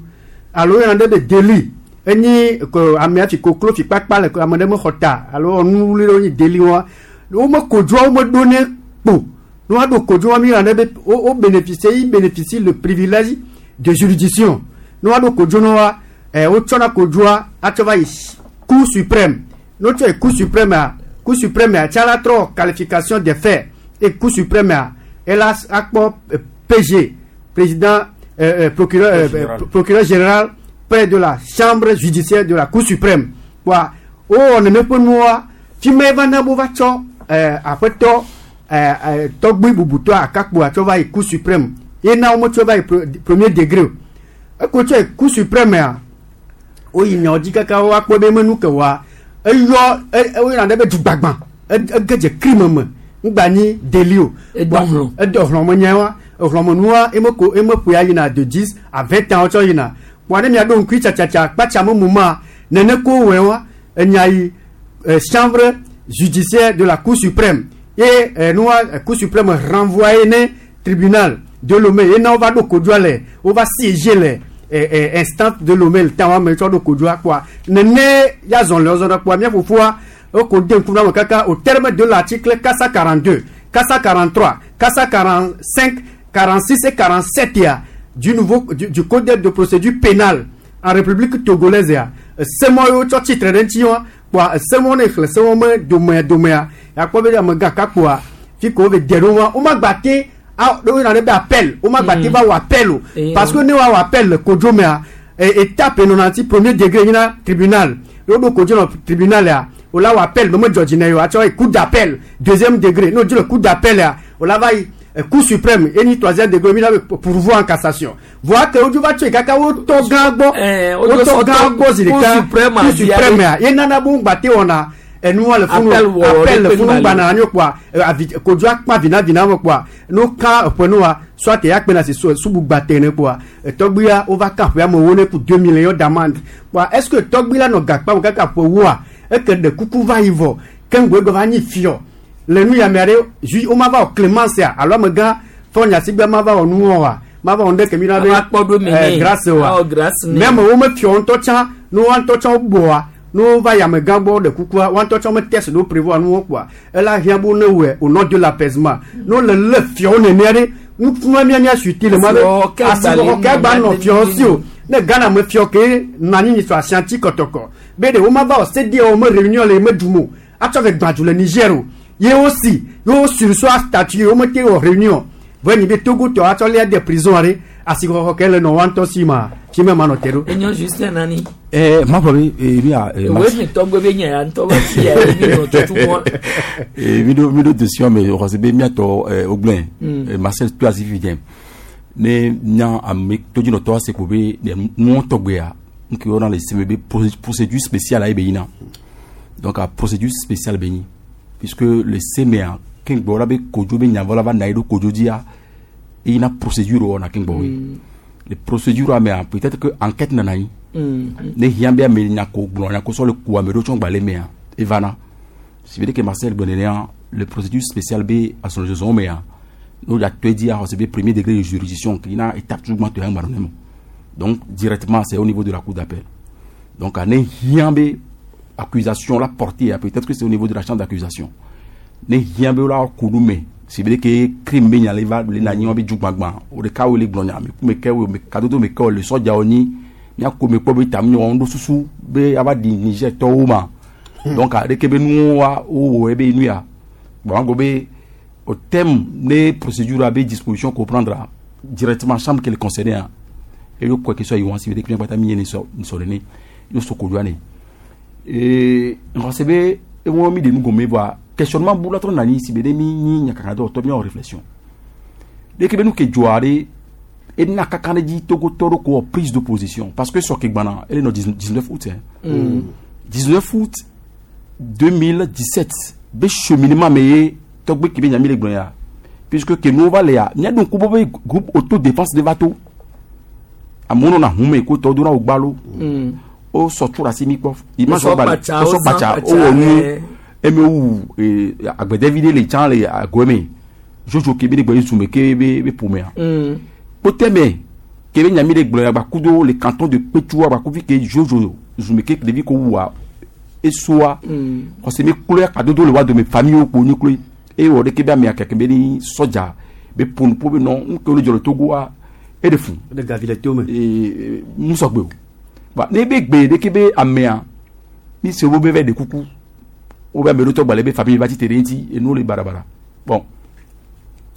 alo woyɔna ɖe be délit enyi ko amea fi koklo fi kpakpa le ame ɖe mexɔ ta alo nu wuli ɖe wonyi délit wa wome kodzoa wome ɖo ne kpo ne woaɖo kodzoa mi yɔna ɖe be wo wo bénéficier yi bénéficie le privilège de juridiction ne woaɖo kodzo ne wa ɛ wotsɔna kodzoa atsɔ va yi Cour suprême ne wotsɔ yi Cour suprême a Cour suprême a tsa la trɔ qualification des faits et Cour suprême a ela akpɔ euh, P G président euh, euh, procureur euh, Général. procureur général près de la chambre judiciaire de la Cour suprême wa wowɔ nene ƒe nua fi ma eva na bo va tsɔ ɛɛ aƒetɔ ɛɛ ɛɛ tɔgbui bubutɔ akakpo atsɔ va yi Cour suprême ye na wo metsɔ va yi pro- premier degré o eko tsɔ yi Cour suprême a woyi nyawo dzi kaka woakpɔ be menu ke wa eyɔ e woyɔna ɖe be dugbagbã ege dze crime me ŋgba nyi délit o Edɔ hlɔ̃. Edɔ hlɔ̃ me nya wa ehlɔ̃menua eme ko eme ƒoe yina de dix à vingt ans wotsɔ yina kpoa ne miaɖo ŋkui tsatsatsa kpatsa me muma nene ko wɔe wa enya yi euh, chambre judiciaire de la Cour suprême ye euh, nua euh, Cour suprême renvoyé ne tribunal de Lomé ye na wova ɖo kodzoa le wova siéger le eh, eh, instance de Lomé le ta wa me tsɔ ɖo kodzoa kpoa nene ya zɔn le zɔn ɖe kpoa mía fofoa eko de ŋku na me kaka au terme de l'article quatre cent quarante-deux, quatre cent quarante-trois, quatre cent quarante-cinq, quarante-six et quarante-sept ya du nouveau du, du code de procédure pénale en République togolaise ya semɔ yiwo tsɔ tsitre ɖe ŋuti wa kpoa semɔ ne xlẽ semɔ me domea domea yakpɔ be amegã kakpoa fi ko wo be de ɖo wa wo ma gba te a wo yina ɖe be appel wo ma gba te va wɔ appel o Eh, parce que ne wa wɔ appel le kodzo mea e étape nɔna ti premier degré yina tribunal ye wo ɖo kodzo nɔ tribunal ya o la wɔ appel me me dzɔ dzi ne o atsɔ yi cour d'appel deuxième degré n'o dzi le cour d'appel ya o la va yi eh, Cour suprême eni troisième degré mi la be pourvoi en cassation voa ke wodzo va tso yi kaka wotɔ gã gbɔ Eh, wotɔ gã gbɔ zi Cour ɖeka suprême Cour a suprême ya ye nana bo ŋgba te wɔna enua le funu Appel wɔ appel le ɖe funu ƒe gbana anyi kpoa eh, avi kodzo akpa vinavina me kpoa no ka eƒe nua soit ya kpena si su subugba te ne kpoa tɔgbuia wova ka ƒe amewo ne ku deux millions d'amende kpoa est ce que tɔgbui la nɔ gakpa me kaka ƒe woa eke ɖe kuku va yi vɔ ke ŋgɔe gɔ va nyi fiɔ le nu ya mea ɖe ju woma va wɔ clémence ya alo amegã fɔ nyasigbe ma va wɔ nuwɔ wa Ma va wɔn ɖe kemi na be Ava kpɔ ɖo me eh, nɛ. grâce wa Awɔ grâce nɛ. même wo me fiɔ ŋutɔ tsã ne woa ŋutɔ tsã wogbɔa ne wova yamegã gbɔ ɖe kukua woa ŋutɔ tsã me test ɖewo prévoir nu wo kpoa ela hiã be ne wɔe au nom de l'apaisement ne wole lé fiɔwo nenea ɖe ŋutsu mía mía suiti le ma be Asixɔxɔ ke asixɔxɔ ke gba gba le nɔ nɔ fiɔwo si o nene. ne Ghana me fiɔ ke nɔ anyi nyisɔ asianti kɔtɔkɔ be ɖe wo ma va wɔ CEDEAO me réunion le me dum o atsɔ ve gbadzu le Niger o ye wo si ye wo sursoir statut wo me te wɔ réunion vɔ nyi be Togo tɔ atsɔ lia de prison aɖe asixɔxɔ ke le nɔ wa ŋutɔ si ma fi me ma nɔ te ɖo. Enyo Justin nani. Eh, ma fɔ be eh, mi a eh, Òwe mi tɔgbe be nya ya ŋutɔ be fi ya ye mi nɔ tutu mɔ. Eh, mi ɖo mi ɖo dossier me xɔse be miatɔ eh, wogblẽ Mm. eh, Marcel to asi fi dze ne nya ame todzinɔtɔ ase ko be ne nuwɔ tɔgbea nuke wɔna le seme be procé- procédure spéciale ayi be yina donc a procédure spéciale be nyi puisque le semea keŋgbɔ la be kodzo be nyavɔ la va na yi ɖo kodzo dzia eyina procédure wɔna keŋgbɔ woe Mm. le procédure mea peut-être que enquête nana anyi Mm. ne hiã be ame nyako gblɔ nyako sɔ le ku ame ɖewo tsɔ gba le mea evana si veut dire que Marcel gblɔ nenea le procédure spéciale be asɔlɔzɔzɔwo mea ne wo tɔe dzia xɔse be premier degré de juridiction ki na étape tout gbãtɔ ya ŋgba nɔ ne mo donc directement c'est au niveau de la cour d'appel donc ne hiã be accusation la portée peut-être que c'est au niveau de la chambre d'accusation ne hiã be la ku nu me si veut dire que crime be nya le va le na nyi be dzugbagba o ɖeka wo le gblɔ nya me ku me ke wo me kadodo me ke wo le sɔdzawo nyi miako me kpɔ be tam nyɔ ŋɖo susu be ava ɖi Niger tɔwo ma donc aleke be nuwo wa wowɔ ebe nu ya bon an be au thème ne procédure a be disposition ko prendre directement chambre qui le concerné a e yo kɔ ke sɔ yi wɔn si veut dire que miagbata mi ye ne sɔ sɔ ne yo soko doa ne ee ŋɔse be ewɔ mi de nu gɔme voa questionnement bu la trɔ nani si be ne mi nyi nyakaka dɔ tɔ miawɔ réflexion ɖeke be nu ke dzɔa ɖe ena kaka ɖe dzi togotɔ ɖo ko wɔ prise de position parce que sɔke gbana ele nɔ dix-neuf août hein. Mm. dix-neuf août deux mille dix-sept be cheminement me ye tɔgbe ke be nya mi le gblɔ ya puisque ke nuwo va le ya míaɖo ŋku be be groupe autodéfense de va to amewo nɔna hun me ko tɔwo dona wo gbalo Mm. wo sɔ tso ɖe asi mi kpɔ image Wosɔ wo gba kpatsa, wosɔ wosã kpatsa kpatsa, wowɔ nu eh. eme wu ee agbɛdɛvi ɖe le tsã le agoe me jojo ke be ne gbɔ ye zume ke be be ƒomea Mm. kpotɛmɛ ke be nya mi le gblɔ ya gbakudo le canton de Kpetsua gbakuvi ke jojo zume ke ɖevi ko wua esoa Mm. xɔse mi kloe kadodo le wa dome famille wo kpo nyi kloe eye wɔ ɖeke be amea keke be ni sɔdza be ƒonuƒo be nɔ nu ke wo le dzɔ le Togoa e ɖe fun. ɖe gavi le to me. ee musɔgbe o ba ne be gbe ɖeke be amea mi se wo be va ɖe kuku wo be ame ɖewo tɔ gba le be famille va tsi te ɖe ŋuti enuwo le barabara bon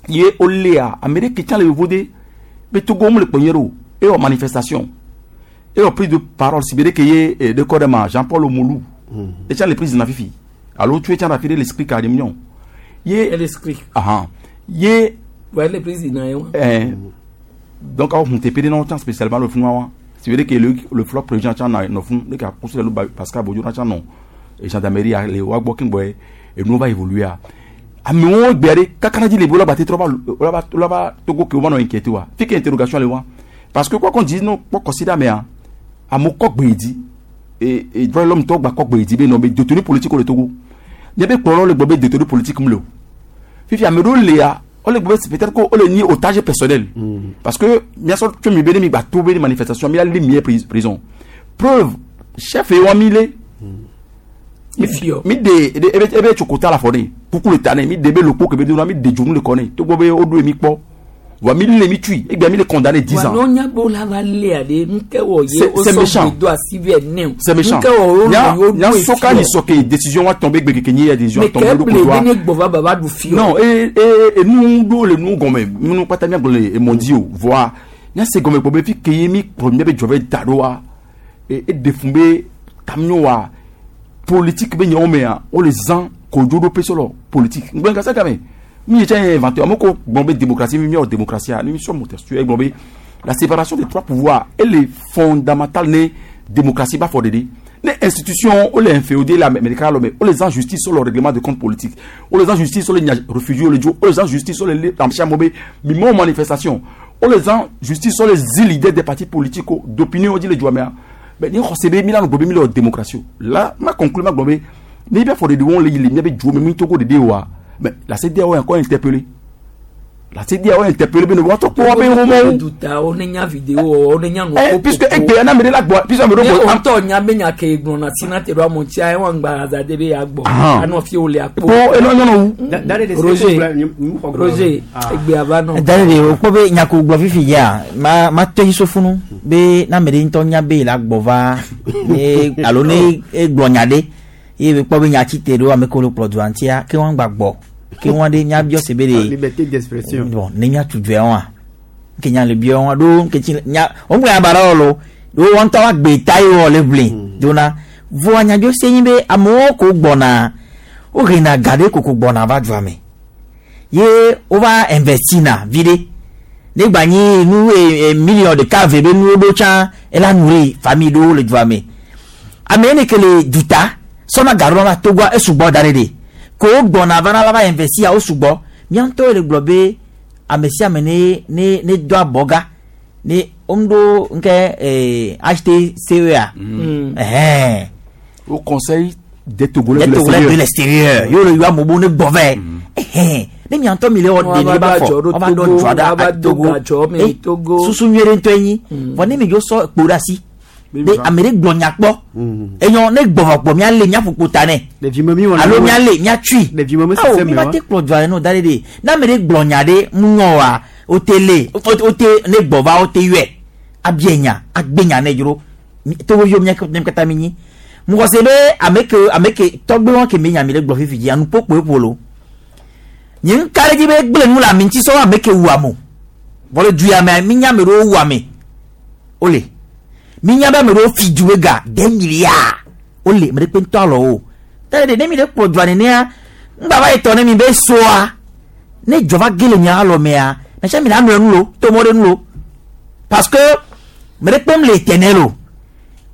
ye wolea ame ɖe ke tsã le yevo de be Togo mu le kpɔ nyuie ɖe o ewɔ manifestation ewɔ prise de parole si be ɖe ke ye eh, ɖe kɔ ɖe ma Jean Paul Omolu etsã le prise na fifi alo tso etsã ɖe afi ɖe le speaker ɖe miɔ ye l'esprit. ahan ye Ouais, le président ye wa. eh, donc awo hun tepe ɖe na wo tsã spécialement le funu wa si be ɖe ke le le flɔ président tsã na nɔ funu ɖe ke akóso le nu Pascal Bodio na tsã nɔ eh, gendarmerie a le wa gbɔ keŋgbɔ ye enuwo va évoluer amewo gbea ɖe kakana dzi le be wola ba te trɔ va wola va wola va Togo ke wo va nɔ inquiété wa fi ke interrogation le wa parce que quoi qu'on dise no kpɔ considère mea amewo kɔ gbe dzi et et droit de l'homme tɔ gba kɔ gbe dzi be nɔ be détenu politique le Togo nye be kplɔlɔ le gbɔ be détenu politique mu le o fifi ame ɖewo lea wole gbɔ be peut-être que wole nyi otage personnel parce que miasɔ tso mi be ne mi gba to be ne manifestation mi la li mi ye pris- prison preuve chef ye wa mi le mi de ebe ebe ebe tso kota la fɔ ne kuku le ta ne mi de be lokpo ke be do na mi de dzonu le kɔ ne togbɔ be wo ɖo ye mi kpɔ wa mi le mi tui egbe mi le condamné dix Wa ans n'o nya be wola va lea ɖe nu ke wɔ ye C'est- wo c'est sɔ méchant. gbe do asi vɛ ne o. c'est méchant Nu ke wɔ wo nya nɔ ye wo nya ɖo soka ni sɔke décision wa tɔn be gbe keke nyi ya décision Mais tɔn be ke ɖo ble kotoa be ne gbɔ va ba va ɖu fi o. non e e enu ɖo le nu gɔmɛ nu kpata mia gblɔ le emɔdi o voa nya se gɔmɛ kpɔ be fi ke ye mi kplɔ mia be dzɔ be da ɖo wa e e de fun be tamio wa politique be nyawo mea wo le zã kodzo ɖo pe sɔlɔ politique ŋgbɛ kasa game mi ye tsɛ ye inventé ame ko gbɔn be démocratie mi miawɔ démocratie a ni mi sɔ mo tɛ su ye gbɔn be la séparation des trois pouvoirs elle est fondamentale ne démocratie ba fɔ de de ne institution wo le inféodé la américain lɔ mɛ wo le zã justice sur le règlement de compte politique wo le zã justice sur le nya réfugié wo le dzo wo le zã justice sur le le amsia be mi mɔ manifestation wo le zã justice sur les leaders des partis politiques d'opinion wo dzi le dzoa mea mais ni xɔse be mi la nɔ gbɔ be mi le wɔ démocratie o là ma conclure ma gbɔ be ne bɛ fɔ de de wɔn le yi le mia be dzo me mi togo de de wa mais la CEDEAO est encore interpellée. La ti dia o interpeller be no wa to ko wa be ho mo. Duta o ne nya vidéo o ne nya no. Eh puisque egbe na me de la gbo puisque me do go. O to nya be nya ke gbon na tina te do mo ti ai won gba za de be ya gbo. Ano fi o le apo. Po e no nyono wu. Roger Roger egbe aba no. Dale de o kpɔ be nyako gblɔ fifi ya ma ma tɔ yi sofunu be na me de ŋutɔ nya be la gbɔ va ne alo ne egblɔ nya ɖe ye be kpɔ be nya tsi te ɖo ame kewo le kplɔ dua ŋutia ke wɔn gba gbɔ ke wɔn ɖe nya biɔ se be de liberté d'expression bon ne nya tu dua wɔn ke nya le biɔ wɔn ɖo ke tsi nya wɔn gblɔ aba ɖe lo ɖo wɔn ŋutɔ wa gbe ta yi wɔ le ʋli dona voa nyadzo se nyi be amewo ko gbɔna wo hena ga ɖe koko gbɔna va dua me ye wova investi na vi ɖe ne gba nyi nu e, e, million ɖeka ve be nuwo ɖo tsã ela nu ɖe famille ɖewo le dua me ame yi ne ke le duta sɔna ga ɖo va Togoa esugbɔ da ɖe ɖe ko wo gbɔna va na la va investi ya wo sugbɔ mía ŋutɔ le gblɔ be ame sia ame ne ne ne do abɔga ne wom ɖo ŋkɛ ee H T C E A ɛhɛn. Au conseil des Togolais de l'extérieur yóò le yɔ amewo ne gbɔ vɛ ɛhɛn ne miantɔ mi le wɔ de ne ba fɔ ɔba dɔ dzɔ ɖe Togo e susu nyuie ɖe ŋutɔ nyi vɔ ne mi dzo sɔ kpo ɖe asi de ame ɖe gblɔ nya kpɔ enyɔ ne gbɔ vɔ kpɔ mia le mia ƒo ta nɛ alo mia le mia tui awo mi ma te kplɔ dzɔa no da ɖe de ne ame ɖe gblɔ nya ɖe mu nyɔ wa o te le o te ne gbɔ va o te yɔe abia nya agbe nya ne dzro Togo viwo mia katã mi nyi mɔgɔse be ame ke ame ke tɔgbe wɔn ke mi nya mi le gblɔ fifi dzi anu kpokpo eƒo lo nye ŋka ɖe dzi be gblẽ nu le ame ŋuti sɔ ame ke wu ame vɔ le du ya mea mi nya ame ɖewo wu ame wole mi nya be ame ɖewo fi du be ga des milliards wole ame ɖe kpe ŋutɔ alɔ wo tɛnɛ de ne mi ɖe kplɔ dua nenea ŋgba va yi tɔ ne mi be soa ne dzɔ va ge le mia alɔ mea mɛsia mi la nɔ enu lo to mɔ ɖe nu lo parce que ame ɖe kpem le éternel o.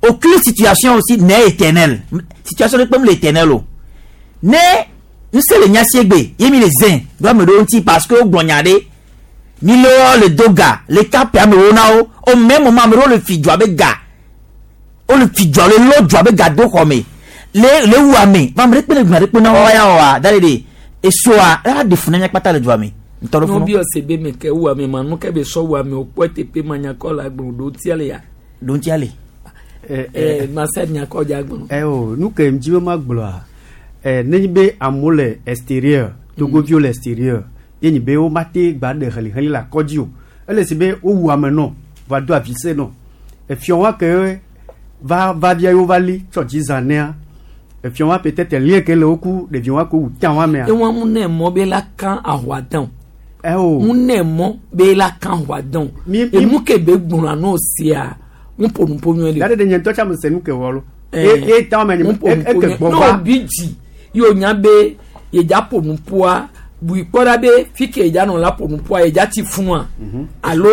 Aucune situation aussi n'est éternelle. Situation de comme l'éternel. Ne, nous sommes les Nyassiegbe, yemi les zin, doit me donner parce que au Glonyade, mi le le doga, les cap me onao, au même moment me le fi doit ga. O le fi doit le lo doit ga do home. Le le ouame, va me répondre me répondre wa ya wa, d'aller de et soa, la de funanya pata le doit me. No bi osebe me ke ouame manu ke be so ouame o poete pe manyakola gbodo tiale ya. Don tiale. Eh, eh, Marcel Nyakɔdza gbɔn. Eh o nu ke ŋdzi be ma gblɔa eh nenye be amewo le extérieur Togoviwo le extérieur ye nyi be wo ma te gba ɖe heliheli le akɔdzi o ele si be wowu ame nɔ va do avise nɔ efiɔ wa ke va va via yewo va li tsɔ dzi zã nea efiɔ wa peut-être lien ke le wo ku ɖevi wa ke wu tã wa mea. Ewa mu ne mɔ be la kan ahwa dán. Eh o mu ne mɔ be la kan ahwa dán. Emu ke be gbɔna n'o sia. Ŋuƒonuƒo nyuie le. Dade de nye ŋutɔ tsa me se nu ke wɔ lo. E e ta me nye e ke gbɔ va. N'o bi dzi ye o nya be yedza ƒonuƒoa bui kpɔ ɖa be fi ke yedza nɔ la ƒonuƒoa yedza ti funua alo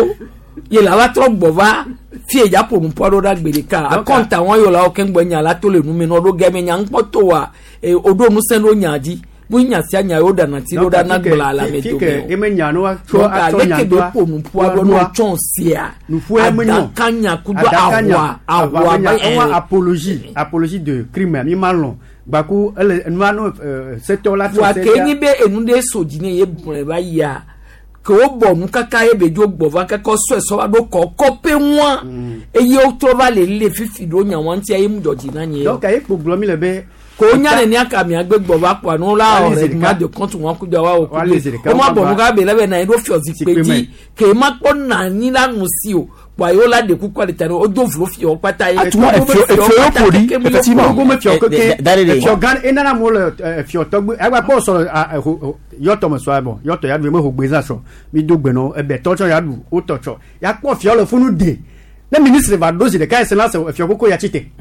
ye la va trɔ gbɔ va fi yedza ƒonuƒoa ɖo ɖa gbe ɖeka akɔnta wɔn yɔ la wo keŋ gbɔ nya la to le nu me nɔ ɖo gɛmɛ nya ŋkpɔ to wa o ɖo ŋusẽ ɖo nya dzi bu nya sia nya yewo ɖana ti ɖo ɖa na gblɔ la me dome o. Eme nya no wa tso atsɔ nya to. Leke be ƒonuƒoa ɖo n'o tsɔn sia. Adakanya kudo ahwa ahwa ba ewa apologie apologie de crime mi ma lɔn gbaku ele nua no setɔ la. Wa ke nyi be enu ɖe so dzi ne ye gblɔe va yia ke wo bɔ nu kaka ye be dzo gbɔ va kaka sɔe sɔ va ɖo kɔ kɔpe ŋua eye wotrɔ va le le fifi ɖo nya wa ŋutia ye mu dzɔ dzi na nye. Donc ayi kpo gblɔ mi le be. Ko nya ne nya ka mia gbe gbɔ va kpɔ anu la règlement de compte wọn kudo wa o kudo o ma bɔ nu ka be la bɛ na ye ɖo fiɔ zikpe dzi ke ma kpɔ na anyi la nu si o kpɔ ayi wo la de kuku ale ta ne o do vlo fiɔ kpata ye. Atuma efio efio poli effectivement. Togo me fiɔ keke fiɔ gan enana mo le fiɔ tɔgbe agba kpɔ sɔrɔ yɔtɔ me sɔ bɔ yɔtɔ ya du me ho gbeza sɔ mi do gbe nɔ ebe tɔtsɔ ya du o tɔtsɔ ya kpɔ fiɔ le funu de ne ministre va do si ɖeka ese la se fiɔ koko ya tsi te.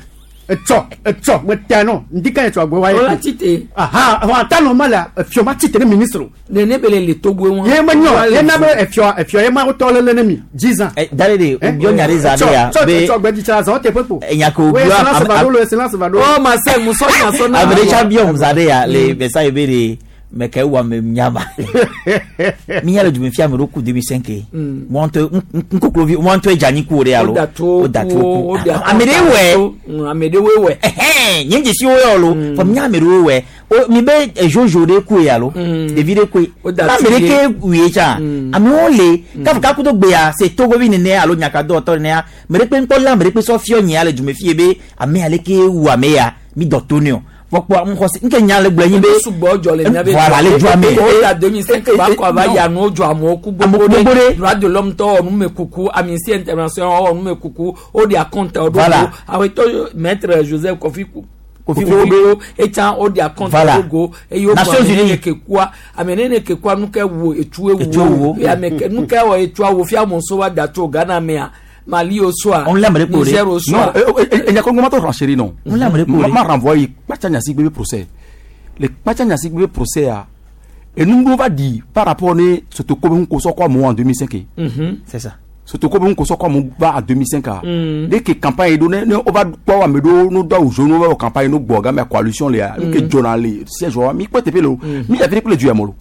Etsɔ etsɔ me tɛ nɔ ŋdi ka etsɔ agbe wa ye. O la ti te. Aha wa ta nɔ ma la efiɔ ma ti te ne ministre o. Nene bele le Togo wọn. Ye me nyɔ ye na be efiɔ efiɔ ye ma wotɔ lele ne mi dix ans. Dale de o biɔ nya de za de ya be etsɔ gbɛdzi tsa zɔn te ƒe kpo. Enya ko biɔ am am. O ma se musɔ nya sɔ na. Ame ɖe tsa biɔ za de ya le message be de Mais ke wa me nyama. Mi ya le du me fia me roku deux mille cinq. Mo nto nkoklovi mo nto ejani ku ore alo. O da to ku. Amede we. Amede we we. Eh, nyen jesi wo yo lo. Fo mi amede we we. O mi be jojo de ku ya lo. David ku. La me ke wi cha. Ami o le ka ka ku to gbe ya se togo bi nene alo nyaka do to ne ya. Mere pe nko la mere pe so fio nyin ale du me fie be ame ale ke wu ame ya mi do to ni o. Fọkpọ nkọsi nke nya le gblɔ nyi be sugbɔ jɔ le nya be voilà le jɔ ame o ta deux mille cinq ba kɔ ava ya nu jɔ amewo ku gbogbo ɖe droit de l'homme tɔ wɔ numekuku Amnesty International wɔ numekuku o de acompte o do awetɔ maître Joseph Kofi Kofi Kofi etsan o de acompte o go eye o gblɔ ame nene ke kua ame nene ke kua nu ke wo etu ewo ame ke nu ke wɔ etua wo fia mɔsɔ wa da tso Ghana mea. Mali au soir, Niger au soir. Non, il y a comment te renchérir non. Ma renvoyé Kpacha Gnassingbé procès. Le Kpacha Gnassingbé procès a et nous nous va dire par rapport ne Sotoko ko so quoi moi en deux mille cinq. C'est ça. Sotoko ko so quoi moi va en deux mille cinq. Dès que campagne est donnée, on va quoi me do nous doit au jour nous va campagne nous boga mais coalition les que journal siège mi quoi te pelo mi avait le du amolo.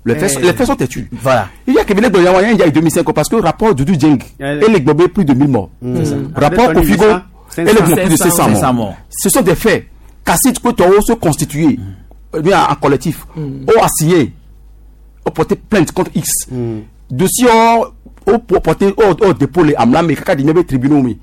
Les faits, les faits sont têtus. Voilà. Il y a que il y a deux mille cinq parce que rapport Doudou Dieng et les Gbobé plus de mille morts. Mmh. Rapport Kofigo et les Gbobé plus de cinq cents morts. Ce sont des faits. Kassit Kotoro se constituer mmh. bien en collectif, mmh. ou a signé, ou porter plainte contre X. Mmh. Dossier ou porter au dépôt les Amla mais kaka dinabe tribunaux mais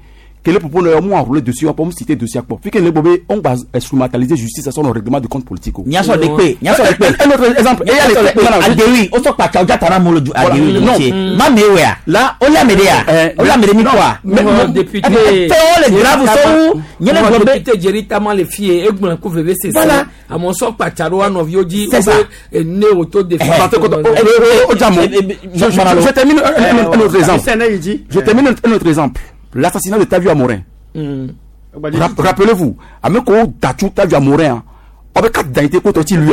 que le propos n'a moins enroulé dossier pour me citer dossier quoi. Puis que les Gbobé on va instrumentaliser justice à son règlement de compte politique. Nya so de pe, nya so de pe. Un autre exemple, et il y a les Adewi, o so pa cha oja tara mo loju Adewi non. Ma me we a. Là, o la me de ya. O la me de mi quoi. Mais député fait o le grave so nye le Gbobé député Jerry Tama le fie e gbon ku veve c'est ça. A mon so pa cha ro anovio ji o ne auto défense. O jamo. Je termine un autre exemple. Je termine un autre exemple. L'assassinat de Tavio Amorin. Mm. Rappelez-vous, Ameko Dachou Tavio Amorin, avec quatre d'identité contre lui.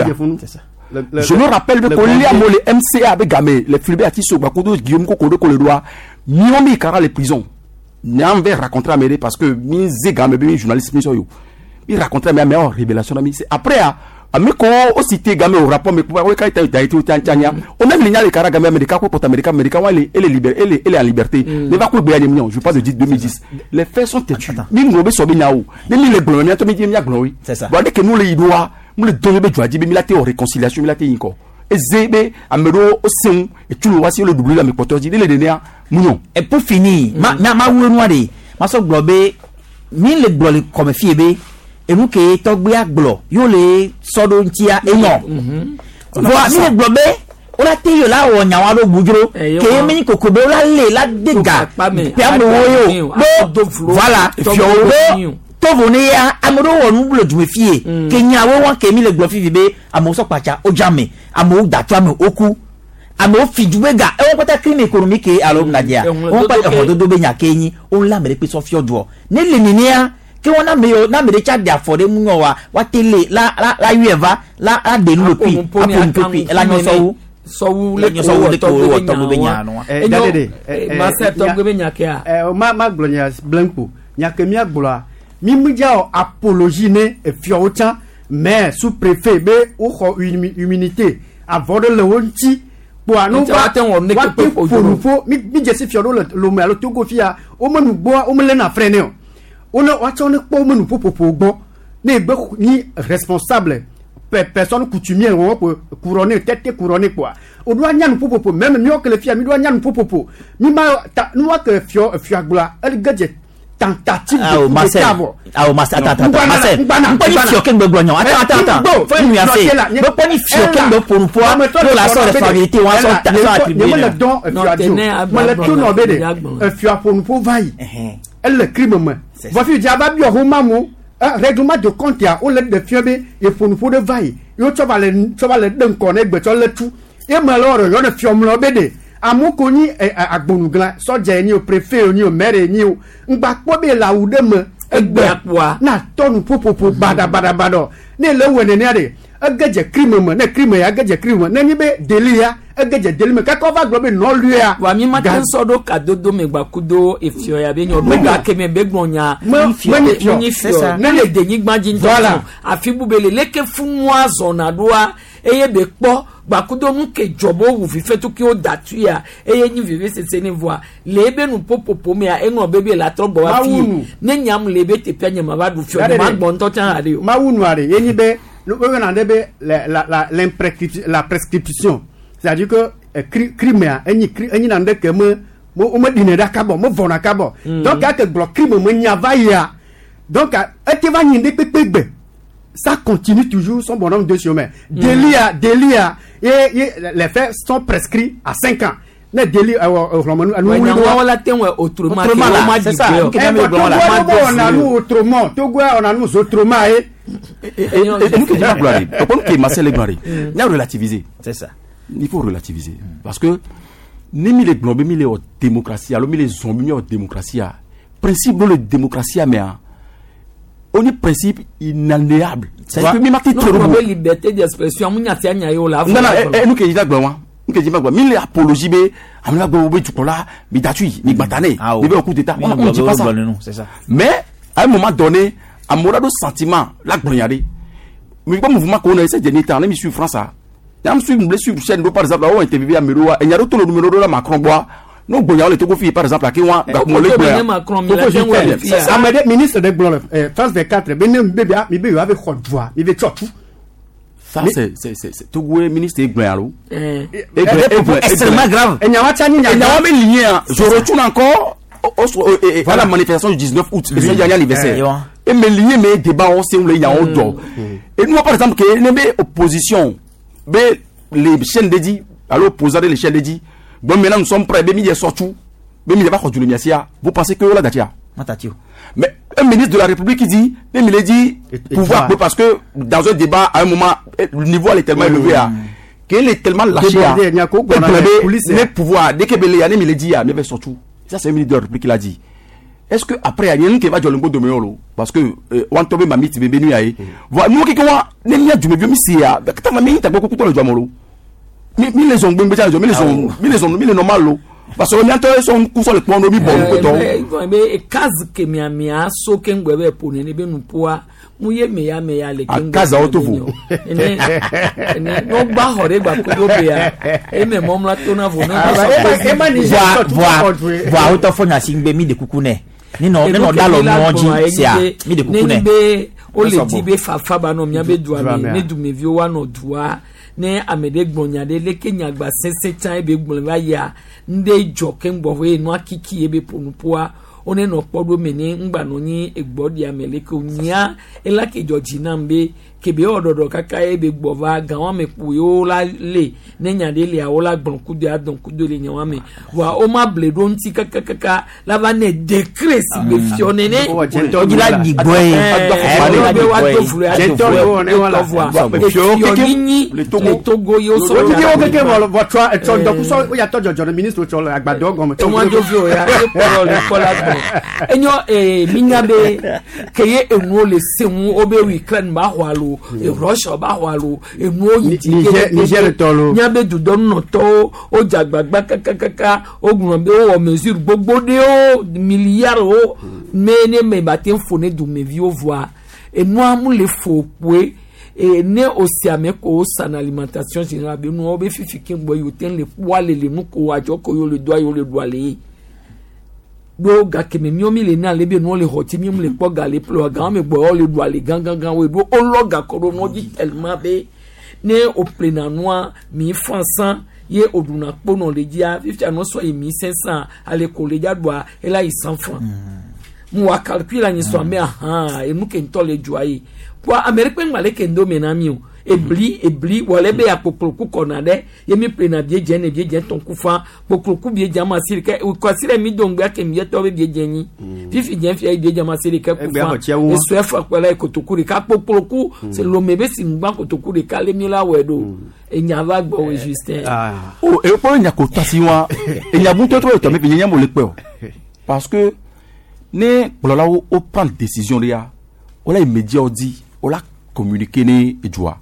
Je me rappelle que les M C A avec Gamé, les Fulbert Tisso, Bakodo, Guillaume Kokodo, Koledoa, Miomi Kara les prisons. N'en raconter à Méré parce que Mizé Gamé, journaliste, Misoyo. Il racontait ma meilleure révélation. Après, Ameko au cité Gamé au rapport, mais pourquoi quand il a été au Tchania, on même les Kara Gamé América contre América, América, elle est libérée, elle est en liberté. Mais va quoi je parle de deux mille dix. Les faits sont têtus. Ni nous sommes nyao, ni les blancs, ni les blancs. C'est ça. Bon, dès que nous les doigts, nous les donnons de Djouadi, mais la réconciliation, la théorie. Et Zébé, Amero, Oseon, et tout le voici le double, mais pour dire les derniers, mounion. Et pour finir, ma ma ma ou ma so globé, ni les blancs comme fiébé. Et nous qui togbe aglo yo le sodo ntia enyo voa mi le globe o la te yo la wo nyawa lo bujro ke mi kokobe o la le la dega pe amowo yo do voilà fio to vone ya amoro wo nu blo jume fie ke nyawo won ke mi le glo fifi be amo so pacha o jame amo da to ame oku amo fi jubega e won pata crime économique alo nadia won pa e hododo be nya kenyi o la mere pe so fio do ne le ninia ke won na me na me de cha de afode mu nyo wa wa tele la la la ueva la la de nu lopi apo ntopi la nyo so so wu le so wu le ko wo to be nya no eh dadede ma se to be nya ke a eh ma ma glo nya blanco nya ke mi agbola mi mu ja apologie ne e fio chan mais sous préfet be o xo immunité avant de le wonti po anu ba te won ne ke pe po mi mi jesi fio lo lo me alo togo fia o me nu gbo o me le na frene o on a on est pas nous pour pour bon ne ni responsable personne coutumière on peut couronner tête couronner quoi on doit nya nous pour pour même mieux que les filles mi doit nya nous pour pour mi ma nous que fio fio agla elle gadget tentative ah, de Marcel. Ah, Marcel, attends, attends, Marcel. Pas ni fio ken gbe Attends, attends, attends. Faut nuancer. Pas ni fio ken gbe pour pour la sorte responsabilité ou sort attribuer. Moi le don fio moi le tout no bede fio pour pour vaille. Elle le crime moi. Voici diaba bio homamu règlement de compte ya o le de fio be e pour pour de vaille. Yo to va le to va le den koné gbe to le tout. E me lo yo ne fio mlo bede. Amoko ni agbonugla sọjà ni o préfet ni o maire ni o ngba kpɔ be la wu ɖe me egbe na tɔnu ƒoƒoƒo badabadabadɔ ne le wɔ nenea de ege dze crime me ne crime ya ege dze crime me ne nyi be deli ya ege dze deli me kaka wova gblɔ be nɔlue ya. Wa mi ma te sɔ ɖo kadodo me gba kudo efiɔ ya be nyɔ ɖo gake me be gblɔ nya me fiɔ ne le denyigba dzi ŋutɔ afi bu be le leke funua zɔna ɖoa. eye be kpɔ gbakudo nu ke dzɔbɔ wu fifɛtu ke wo da tu ya eye nyi vivi sese ne voa le ebe nu popopo mea eŋlɔ bebe la trɔ gbɔ wa fi ne nyam le ebe teƒea nye ma va ɖu fiɔ ne ma gbɔ ŋutɔ tsã haɖe o. Mawu nua de ye nyi be wo na de be la la la la prescription, c'est-à-dire que crime a enyi enyi na de ke me wo me ɖinɛ ɖe akabɔ me vɔna akabɔ donc ake gblɔ crime me nya va yia donc ete va nyi ɖe kpekpe gbe. Ça continue toujours son bonhomme de chemin. Délit à délit à et, et les faits sont prescrits à cinq ans. Ne délit euh autrement c'est ça. On a nous autrement, Togo on a nous autrement et et nous qui gloire. Pourquoi qui Marcel gloire. Il a relativiser. C'est ça. Il faut relativiser parce que ni mi les globes mi les démocratie, alors mi les zombies mi démocratie. Principe de la démocratie mais on est principe inaliénable. C'est que mi marqué trop de liberté d'expression mu nyati anya yo la. Non non, nous qui dit gba nous qui dit gba mi apologie be amina gba obe tukola mi datui mi gbatane mi be au coup d'état. On ne dit pas ça. C'est ça. Mais à un moment donné, amoura do sentiment la gboyade. Mi pas mouvement qu'on a ces derniers temps, mi suivre France ça. Yam suivre me suivre chaîne par exemple là où interview à Meroa et y a tout le numéro de la Macron bois. Non, bon, il y a le Togo fille, par exemple, à qui on a le ministre de Blanc, France vingt-quatre, il avait droit, il avait tout. Ça, c'est, c'est, c'est, Togo ministre de Blanc, extrêmement grave. Et il y a je retourne encore à la manifestation du dix-neuf août, c'est le dernier anniversaire. Et mes liens, mes débats, on sait où il y a un dos. Et nous, par exemple, que les opposition, les chaînes dédiées, à l'opposant les chaînes dédiées, bon, maintenant nous sommes prêts, mais surtout, mais il va continuer vous pensez que là, Datia. Mais un ministre de la République qui dit, mais il dit, pouvoir, parce que dans un débat, à un moment, le niveau est tellement élevé, qu'il est tellement lâché, mais pouvoir, dès que Béléane, il dit, mais surtout, ça c'est un ministre de la République qui l'a dit. Est-ce que après, il y a un qui va jouer le de Meolo? Parce que, on tombe ma mite, bébé, nous, nous, qui, nous, nous, nous, nous, mi les ongbe mbe mi les on mi les on mi les normal lo parce que mi anto son ku so le pon mi bon ko to be kazi ke mi amia so ke ngbe be pone ne be nu poa mu ye me ya me ya le ke ngbe kaza otovo ene ene no gba hore gba ko do be ya e me mom la to na vo na e ma ni voa voa oto fo nya singbe mi de kuku ne ni no ni no dalo no ji sia mi de kuku ne be o le di be fafa ba no mi be dua mi ne du me vi wa no dua ne amede gbonya de leke nyagba sese tan ebe gbon va ya nde joke ngbo we no akiki ebe ponupoa one no podo me ni ngba no ni egbodi ameleke onya elake joji na mbe kebe ododo kaka ebe gbova gan wa me pu yo la le ne nyade le awola gbon kudo adon kudo le nyawa me wa o ma bledo nti kaka kaka la va ne décret si be fione ne o ji la digbo e e wa do fulu to ne wala ni le Togo yo so o ti o keke wo wo tro e tro do so o ya to jojo ministre tro le agbado gan to won jo fi o ya e poro le kola gbon enyo e minya be keye enu o le sehun o be Ukraine ba ho alo e Russia ba ho alo enu o yi ti Niger to lo nya be dudo no to o jagbagba kakakaka o gbon be o mesure gbogbo de o milliard o me ne me ba te fone du me vi o voir e nu amu le fo poe e ne osi ame ko san alimentation générale be nu o be fifi ke gbo yo ten le poa le le nu ko ajo ko yo le doa yo le doa le do ga ke me mi le na le be nu le hoti mi le po ga le plo ga me gbo le doa le gan gan gan we do o lo ga ko do no di tellement be ne o plena noa mi franc ye oduna kpono le dia fifi ano so e mille cinq cents ale ko le dia doa e la cent francs mu wa calcul ani so me aha e nu ke nto le joaye kwa Amérique ngale kendo menami o ebli ebli wale be akpokploku kɔna ɖe ye mi ƒlena biedze ne biedze tɔn kufa kpokploku biedze ama si ɖeka kɔsi ɖe mi do ŋgbea ke mi yɛtɔ be biedze nyi fifi dze fia ye biedze ama si ɖeka kufa esɔ efa kpɔ la kotoku ɖeka kpokploku se lome be si ŋgba kotoku ɖeka le mi la wɔe ɖo enya va gbɔ wo Justin. o e kpɔ nya ko tasi wa enya bu tɔtɔ ye tɔmɛ fi nye mo le kpɛ o parce que ne kplɔlawo o prendre décision de ya o la immédiat o di o la communiquer ne edzoa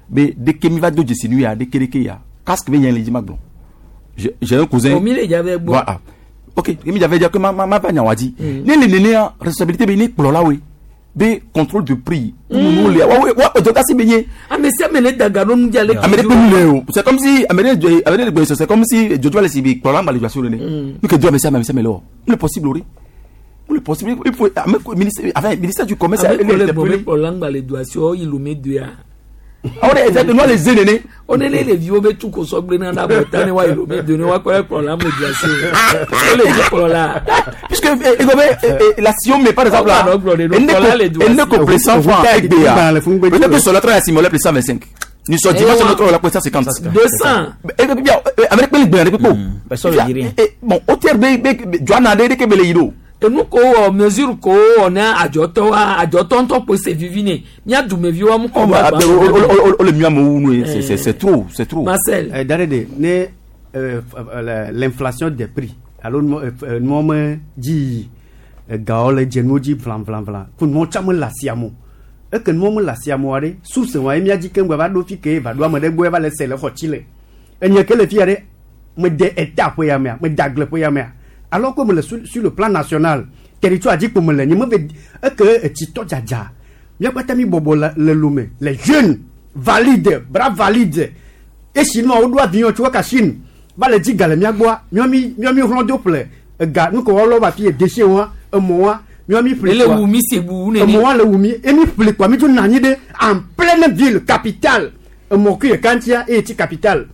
be dès que mi va do dzesi nu ya dès que dès que ya casque be nya le dzi ma gblɔ j'ai un cousin. O mi le dza bɛ gbɔ. Voilà. Ok mi dza bɛ dza ke ma ma ma va nya wa di ne le nenea responsabilité be ne kplɔlawoe be contrôle de prix nous les wa wa o si benye ame sia ame le daga ɖo nu dza le ame ɖe kpe nu le o c'est comme si ame ɖe ame ɖe gbe c'est comme si jojo le si bi kplɔla ŋgba le dzɔ le ne nu ke do ame sia ame sia ame le wɔ nu le possible o de nu le possible il faut ame ministère enfin ministère du commerce ame ko le gbɔ be kplɔla ŋgba le do asi o yi lome doa. Awo de exactement les zénene. O ne le ɖeviwo be tu ko sɔgbe na ɖe abɔta ne wa yi lome do ne wa kɔ kplɔla me do asi o le dzi kplɔla. Puisque eh, la Sion mais par exemple là, elle ne ko plus cent francs avec B A. Peut-être que sur l'autre la Sion plus cent vingt-cinq. Nous sommes dimanche notre la plus cent cinquante. deux cents. Eh bien avec les B A bon au terme B Joanna de ke bele yido. Enu ko wɔ mesure ko wɔ ne adzɔtɔ wa adzɔtɔ ŋutɔ kpo se vivi ne mía dumevi wa mu kɔ ba. O le mieux amewo c'est c'est c'est trop, c'est trop. Marcel. Eh, Dare de ne euh, l'inflation des prix alo nuwo me dzi gawo le dze nuwo dzi vlavlavla ko nuwo tsa me le asia mo eke nuwo me le asia moa ɖe source wa ye mía dzi keŋ gba va ɖo fi ke va ɖo ame ɖe gbɔ va le se le xɔ tsi le enye ke le fia ɖe me de eta ƒe ya mea me de agble ƒe ya mea alors que me le sur, sur le plan national territoire dzi kpo me le nye me ve eke etsitɔ dzadza mía kpata mi bɔbɔ le le lome les jeunes valide bras valide esi nua woɖo avion tso kaka Chine va le dzi ga le mía gbɔa míɔ mi míɔ mi hlɔ̃ do ƒle ega nu ke wɔlɔ va fi ye déchet wa emɔ wa míɔ mi ƒle ele wu mi se bu nene emɔ wa le wu mi emi ƒle kɔa mi dzo nɔ anyi ɖe en pleine ville capitale emɔ ku ɖeka ŋutia eye ti capitale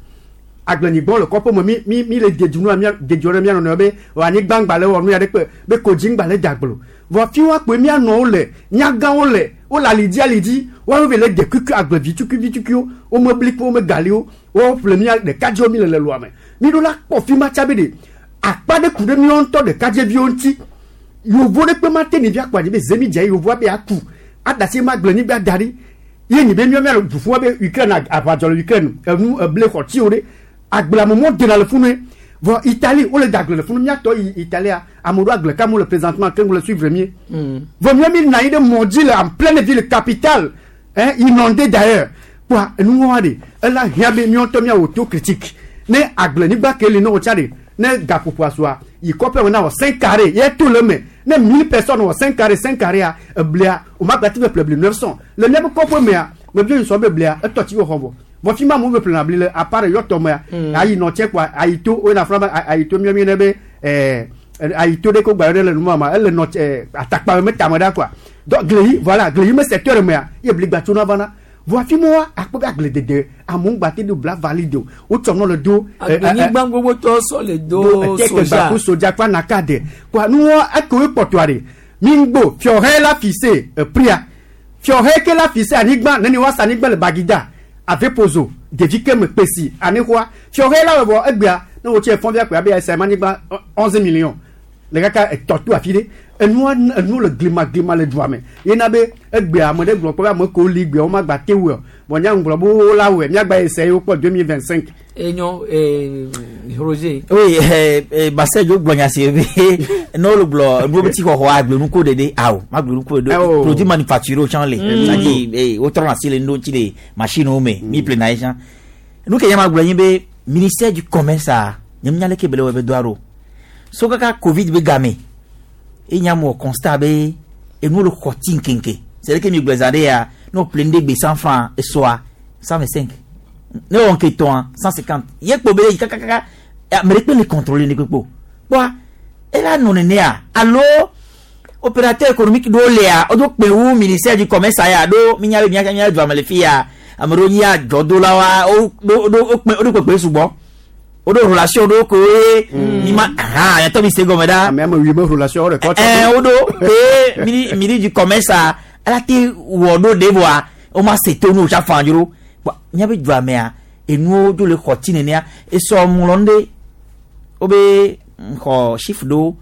agblenyigba le kɔƒe me mi mi mi le dedunu mia dedzo ɖe mia nɔnɔe be anyigba ŋgba le wɔ nu ya ɖe kpe be kodzi ŋgba le daglo vɔ fi wa kpe mia nɔwo le nyagãwo le wole alidzi alidzi woawo ve le de kuku agblevi tukui tukuiwo wo me bli kple wo me galiwo wo ƒle mia ɖekadzewo mi le le lua me mi ɖo la kpɔ fi ma tsa be de akpa ɖe ku ɖe míawo ŋutɔ ɖekadzeviwo ŋuti yovo ɖe kpe ma te ɖevi akpa dzi be zemi dze yovoa be aku adasi ma agblenyigba da ɖi ye nyi be míawo mia le ʋuƒua be Ukraine aʋadzɔ le Ukraine enu eble xɔ tsiwo ɖe agbleamemɔ dena le funu vɔ Italie wole da agble le funu míatɔ yi Italia ame ɖo agble kam le présentement keŋ le suivre mie vɔ mía mi nɔ anyi ɖe mɔ dzi le en pleine ville capitale hein inondé d'ailleurs kpoa enuwoa ɖe ela hiã be míawo ŋutɔ míawɔ autocritique ne agblenyigba ke li ne wotsa ɖe ne gaƒoƒoa sua yi kɔƒe me na wɔ cinq carré ye to le me ne mille personnes wɔ cinq carré cinq carré a eblia o ma gba ti be ƒle bli neuf cent le míaƒe kɔƒe mea me bi sɔ be blia etɔ tsi wo xɔ vɔ vɔ fi ma mo be ƒlena bli le à part yɔtɔ mea ayi nɔ tse kpoa ayi to wo yina funa be ayi to míɔ mi ne be ɛɛ ayi to ɖe ko gba ɖe le numa ma ele nɔ tse atakpa me tame ɖa quoi donc gleyi voilà gleyi me secteur mea ye bli gba tsona vana vɔ afi ma wa akpɔ be agbledede amewo gba te do bla valide o wotsɔ nɔ le do. Agblenyigba gbogbo tɔ sɔ le do soja soja soja kple anaka de kpoa nuwɔ ekewoe kpɔtɔa ɖe mi ŋgbo fiɔhɛ la fise epria fiɔhɛ ke la fise anyigba neni woasa anyigba le Bagida Avepozo ɖevi ke me kpesi anixɔa fiɔhɛ la wɔ egbea ne wotsi efɔn via kpe abe esa anyigba onze millions le kaka etɔ to afi ɖe enua enu le glima glima le dua me yena be egbea ame ɖe gblɔ kpɔ be ame kewo li gbea wo ma gba te wɔ bɔn nya ŋgblɔ be wo la wɔe miagba ese yewo kpɔ deux mille vingt cinq. Enyo eh, Roger. Oui, eh, eh, Marcel yo gblɔ nya si be ne wole gblɔ nuwo be ti xɔxɔ agblenuko ɖeɖe awo agblenuko ɖeɖe produit manufacturé wo tsã le c'est-à-dire eh, wotrɔna asi le nuɖewo ŋuti le machine wo me mi ƒlena ye tsã nu ke nya ma gblɔ nyi be ministère du commerce a nye nya leke be le wɔ be doa ɖo so kaka Covid be game enya mo constat be enuwo le xɔ ti nkenke c'est vrai que mi gblɔ zã ɖe ya ne wo ƒle nu ɖe gbe cent francs esɔa cent vingt cinq ne wɔ nke tɔa cent cinquante ye kpo be yi kakakaka ame ɖe kpe le contrôler ne kpekpe o kpɔa ela nɔ nenea alo opérateur économique ɖewo lea wodo kpe wu ministère du commerce aya ɖo mi nya be mia mia dua me le fi ya ame ɖewo nyi adzɔdolawoa wo ɖo ɖo wokpe woɖo kpekpe sugbɔ woɖo relation ɖewo koe mi ma ahan yàtɔ mi se gɔme ɖa. ame ame wi me relation wo ɖe kɔ. Ɛɛ woɖo ke mini mini du commerce a ala te wɔ ɖo ɖe vɔa wo ma se to nu o tsa fan dzro míabe dua mea enuwo dzo le xɔ ti nenea esɔ ŋlɔ nu ɖe wobe xɔ chiffre ɖewo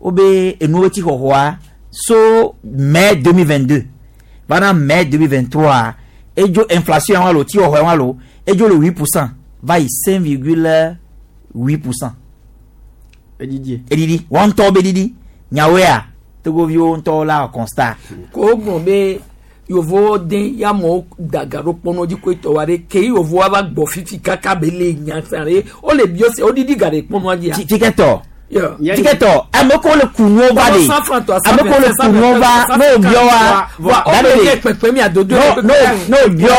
wobe enuwo be ti xɔxɔa so mai deux mille vingt deux va mai deux mille vingt trois edzo inflation wa lo ti xɔxɔ wa lo edzo le huit pourcent va yi cinq virgule huit pourcent. Edidi. Edidi wɔn ŋutɔ be didi nyawoea togoviwo ŋutɔ la constat. Ko gblɔ be yovowo den ya amewo da ga ɖo kpɔnɔ dzi koe tɔ wa ɖe ke yovowo va gbɔ fifi kaka be le nya sa ɖe wole biɔ se wodidi ga ɖe kpɔnɔa dzia. Tsikɛtɔ Tiketɔ ame ko le kunuwo va de ame ko le kunuwo va n'o biɔ wa da de n'o n'o biɔ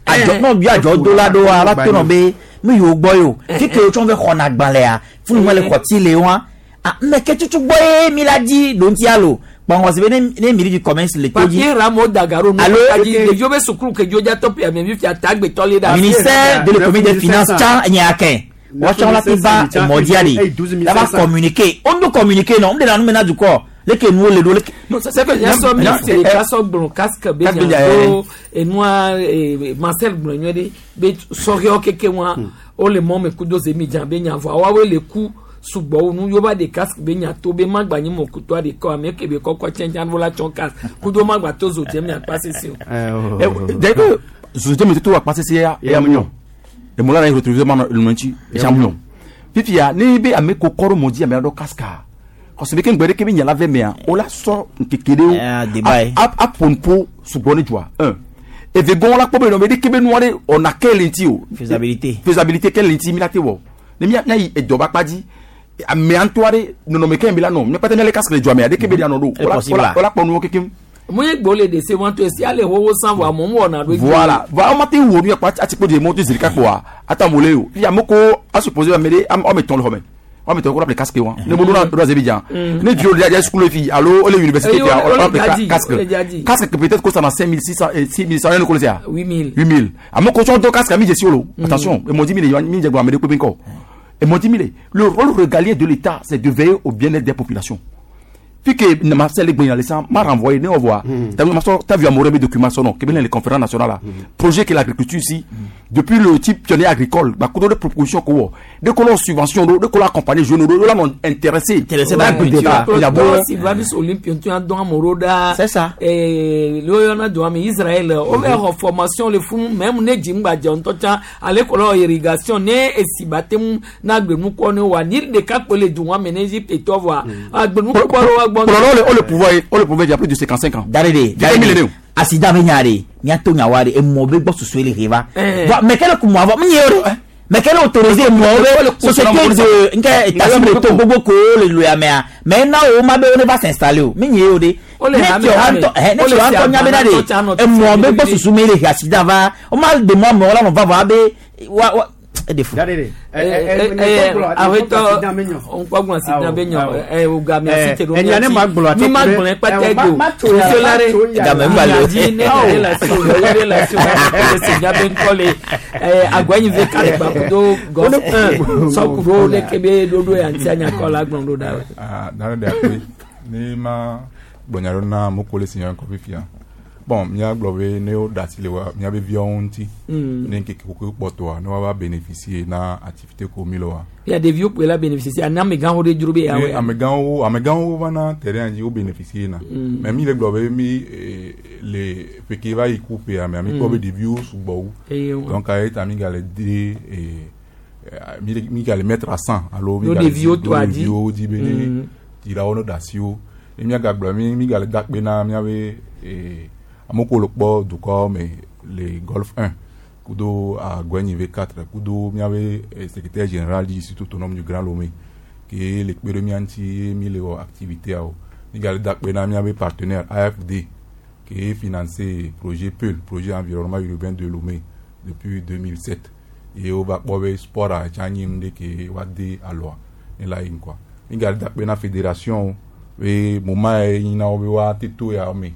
adzɔ n'o biɔ adzɔ do la do wa va to nɔ be mi yiwo gbɔ yi o fike wo tsɔ fɛ xɔna gbalẽa funu ma le xɔti le wa ah mɛ ke tutu gbɔ ye mi la di ɖontia lo kpɔngɔsi be ne ne miri du commerce le to dzi. Papier ramo dagaro nu Alo ɖeviwo be sukulu ke dzo dza tɔpi ame mi fia tagbetɔ le ɖe. Ministère de l'économie des finances tsã nye akɛ wɔtsɔ la ti va mɔdia de la va communiquer on do communiquer non on de la nu mena dukɔ leke nuwo le do leke. Non c'est que nyasɔ ministre ɖeka sɔ gblɔ casque be nya do enua Marcel gblɔ nyuie ɖe be sɔhɛwo keke wa wole mɔ me kudo zemidza be nya vɔa woawoe le ku sugbɔwo nu yova de casque be nya to be magba nyi mɔkutɔ aɖe kɔ ame ke be kɔkɔ tsɛntɛn vo la tsɔ casque kudo magba to zo dze mi akpa sese o. D'ailleurs zo dze mi to akpa sese ya ya mu nyɔ emola na ye retrouver ma le mɔntsi eya mu nyɔ fifia ne be ame ko kɔrɔ mɔ di ame aɖɔ casque kɔsɛbɛ ke ŋgbɛ ɖe ke be nyala vɛ mea o la sɔ nkeke ɖewo aƒo sugbɔ ne dzoa un eve gɔn la kpɔ be nɔ be ɖeke be nua ɖe ɔna ke le ŋuti o faisabilité faisabilité ke le ŋuti mi la te wɔ ne mia mia yi edɔ ba kpa dzi amea ŋutɔ aɖe nɔnɔme ke mi la nɔ miakpata mia le casque le dzoa mea ɖeke be ɖe anɔ ɖo o la kpɔ nuwo kekem. Mu ye gbo le de se wɔn to esi ale wowo san vɔ amewo wɔna ɖo. Voilà voilà wɔn ma te wo nu yɛ kpa atikpo de mɔto zirika kpoa ata mo le o fi ame ko a supposé ame ɖe ame tɔn le xɔ me ame tɔn ko la casque wa ne bolo na do Azerbaïdjan ne dio le dia school fi alo ole université fi o la casque casque peut-être que ça na cinq mille six cents six mille cent ne ko le sia huit mille huit mille ame ko tsɔn do casque mi jesi o attention e mo di mi le mi jẹ gbɔ ame ɖe kpe kɔ e mo di mi le le rôle régalien de l'État c'est de veiller au bien-être des populations. Puis que Marcel Gbenyalessa m'a renvoyé, ne voit. T'as vu Amoré mes documents son nom, qui les conférences nationales là. Projet que l'agriculture ici, depuis le type pionnier agricole, bah, de proposition qu'on de qu'on subvention, de qu'on accompagner jeunes, de là on intéressé. Intéressé par l'agriculture. Il y a beau. C'est ça. Et le on a Israël, on va formation le fou même ne jimba jontocha à l'école irrigation ne et si batem na gbemu ko ne wa ni de ka pele du wa meneji et toi voir. Agbemu ko wa bon, on le pouvoir, on le pouvoir il y a plus de cinquante-cinq ans. Darede, darede. Accident venyare, nyato nyaware, et mo be boss sur les riva. Mais quel coup moi, mais quel autorisé moi, société de nka état de Togo ko le loya mais na o ma be on va s'installer o. Mais nyode. Ne tu anto, ne tu anto nyame na de. Et moi be boss sur les accident va. On m'a de moi mais on va voir be wa defo. Darede. Awetɔ ŋkpɔgbɔn si na be nyɔ ɛ o game asi te ɖo mi ma gblɔ kpɛtɛ go musolare game ŋgba le o ne ne la si o ne la si o ne si nya be ŋkɔ le ɛ agɔnyi ve kari gbakudo gɔf un sɔkudo ne ke be ɖoɖo ya ŋuti anyakɔ la gblɔ ɖo da. Aa dare de akpe ne ma gblɔ nya ɖo na moko le si nya kɔ fifia bon míagblɔ be ne wo da asi le wa míabe viawo ŋuti ne ŋkeke koko kpɔtɔa ne woava bénéficier na activité ko mi le wa. Ya ɖeviwo kpoe la bénéficier ani amegãwo ɖe dzro be ya wɔ. Amegãwo amegãwo vana terrain dzi wo bénéficier na. Mais mi le gblɔ be mi le ƒe ke va yi ku ƒea mea mi kpɔ be ɖeviwo sugbɔ wu. Donc aye ta mi gale de mi mi gale mettre à cent alo mi gale ɖeviwo dzi be ne dzilawo ne da asi wo. Ne míagagblɔ mi mi gale da akpe na míabe amoko le kpɔ dukɔ me le Golf un kudo Agɔnyi V quatre kudo míabe secrétaire général du Institut autonome du Grand Lomé ke le kpe ɖe mía ŋuti mi le wɔ activité awo mi gale da akpe na míabe partenaire A F D ke financé projet P E L projet environnement urbain de Lomé depuis deux mille sept ye wova kpɔ be sport a tsa nyi nu ɖe ke woade alɔa ne la yi ŋkɔa mi gale da akpe na fédération be moment ye nyina wo be woate to ya me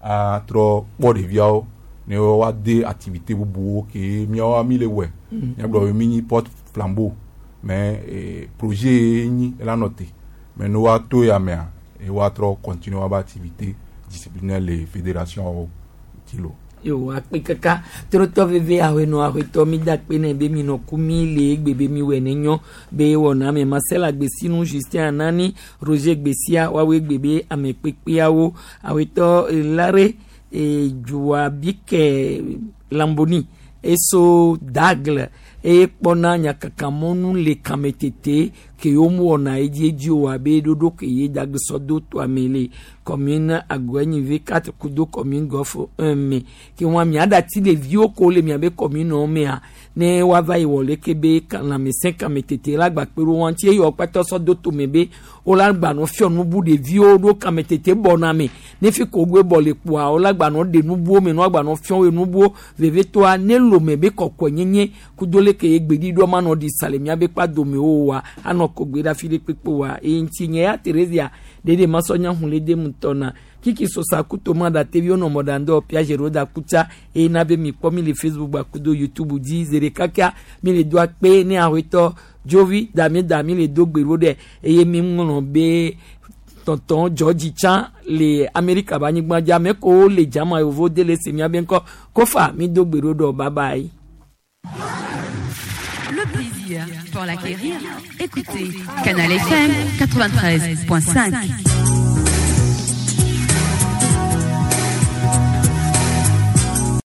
atrɔ kpɔ ɖeviawo ne woade activité bubuwo ke míawo mi le wɔe míagblɔ be mi nyi porte flambeau mais projet ye nyi ela nɔ te mais ne woato ya mea ye woatrɔ continuer woabe activité disciplinaire le fédération wo ŋuti lo. Yo akpe kaka trotɔ veve awɔenɔ awɔetɔ mi da akpe ne be mi nɔ ku mi le egbe be mi wɔ ne nyɔ be wɔna ame Marcel Agbesinu Justin Anani Roger Gbesia woawoe egbe be ame kpekpeawo awɔetɔ Lare Dzuabike Lamboni eso Dagle Eye kpɔna nyakakamɔnu le kametete ke yewo wɔna edziedzi o abe ɖoɖo ke ye dagbesɔ do toa me le commune Agɔenyive quatre kudo commune Golf un me ke wɔn miaɖati ɖeviwo ko le miabe commune wo mea ne woava yi wɔ leke be lãmesẽ kametete la gba kpe ɖo wɔn ŋuti eye wɔkpatɔ sɔ do tome be wola gbanɔ fiɔ nubu ɖeviwo ɖo kametete bɔna me ne fi ko goe bɔ le kpoa wola gbanɔ ɖe nubuwo me ne woagbanɔ fiɔ wo nubuwo vevetoa ne lome be kɔkɔe nyenye kudo leke ye gbeɖiɖɔ manɔ ɖi sa le miabe kpa dome wo wa anɔ kogbe ɖe afi ɖe kpekpe wa eye ŋuti nye ya Theresia ɖeɖe masɔ nya hun le dem ŋutɔ na kiki sosa kuto ma da tevi wonɔ mɔɖaŋdɔ piagero da kutsa eye na be mi kpɔ mi le Facebook gba kudo YouTube dzi zi ɖeka kia mi le do akpe ne awetɔ dzovi dami dami le do gbe ɖo ɖe eye mi ŋlɔ be tɔntɔn George tsã le Amerika be anyigba dzi ame kowo le dzama yevo de le se miabe ŋkɔ kofa mi do gbe ɖo ɖɔ bye bye. Le plaisir, pour l'acquérir, écoutez Canal F M quatre-vingt-treize point cinq.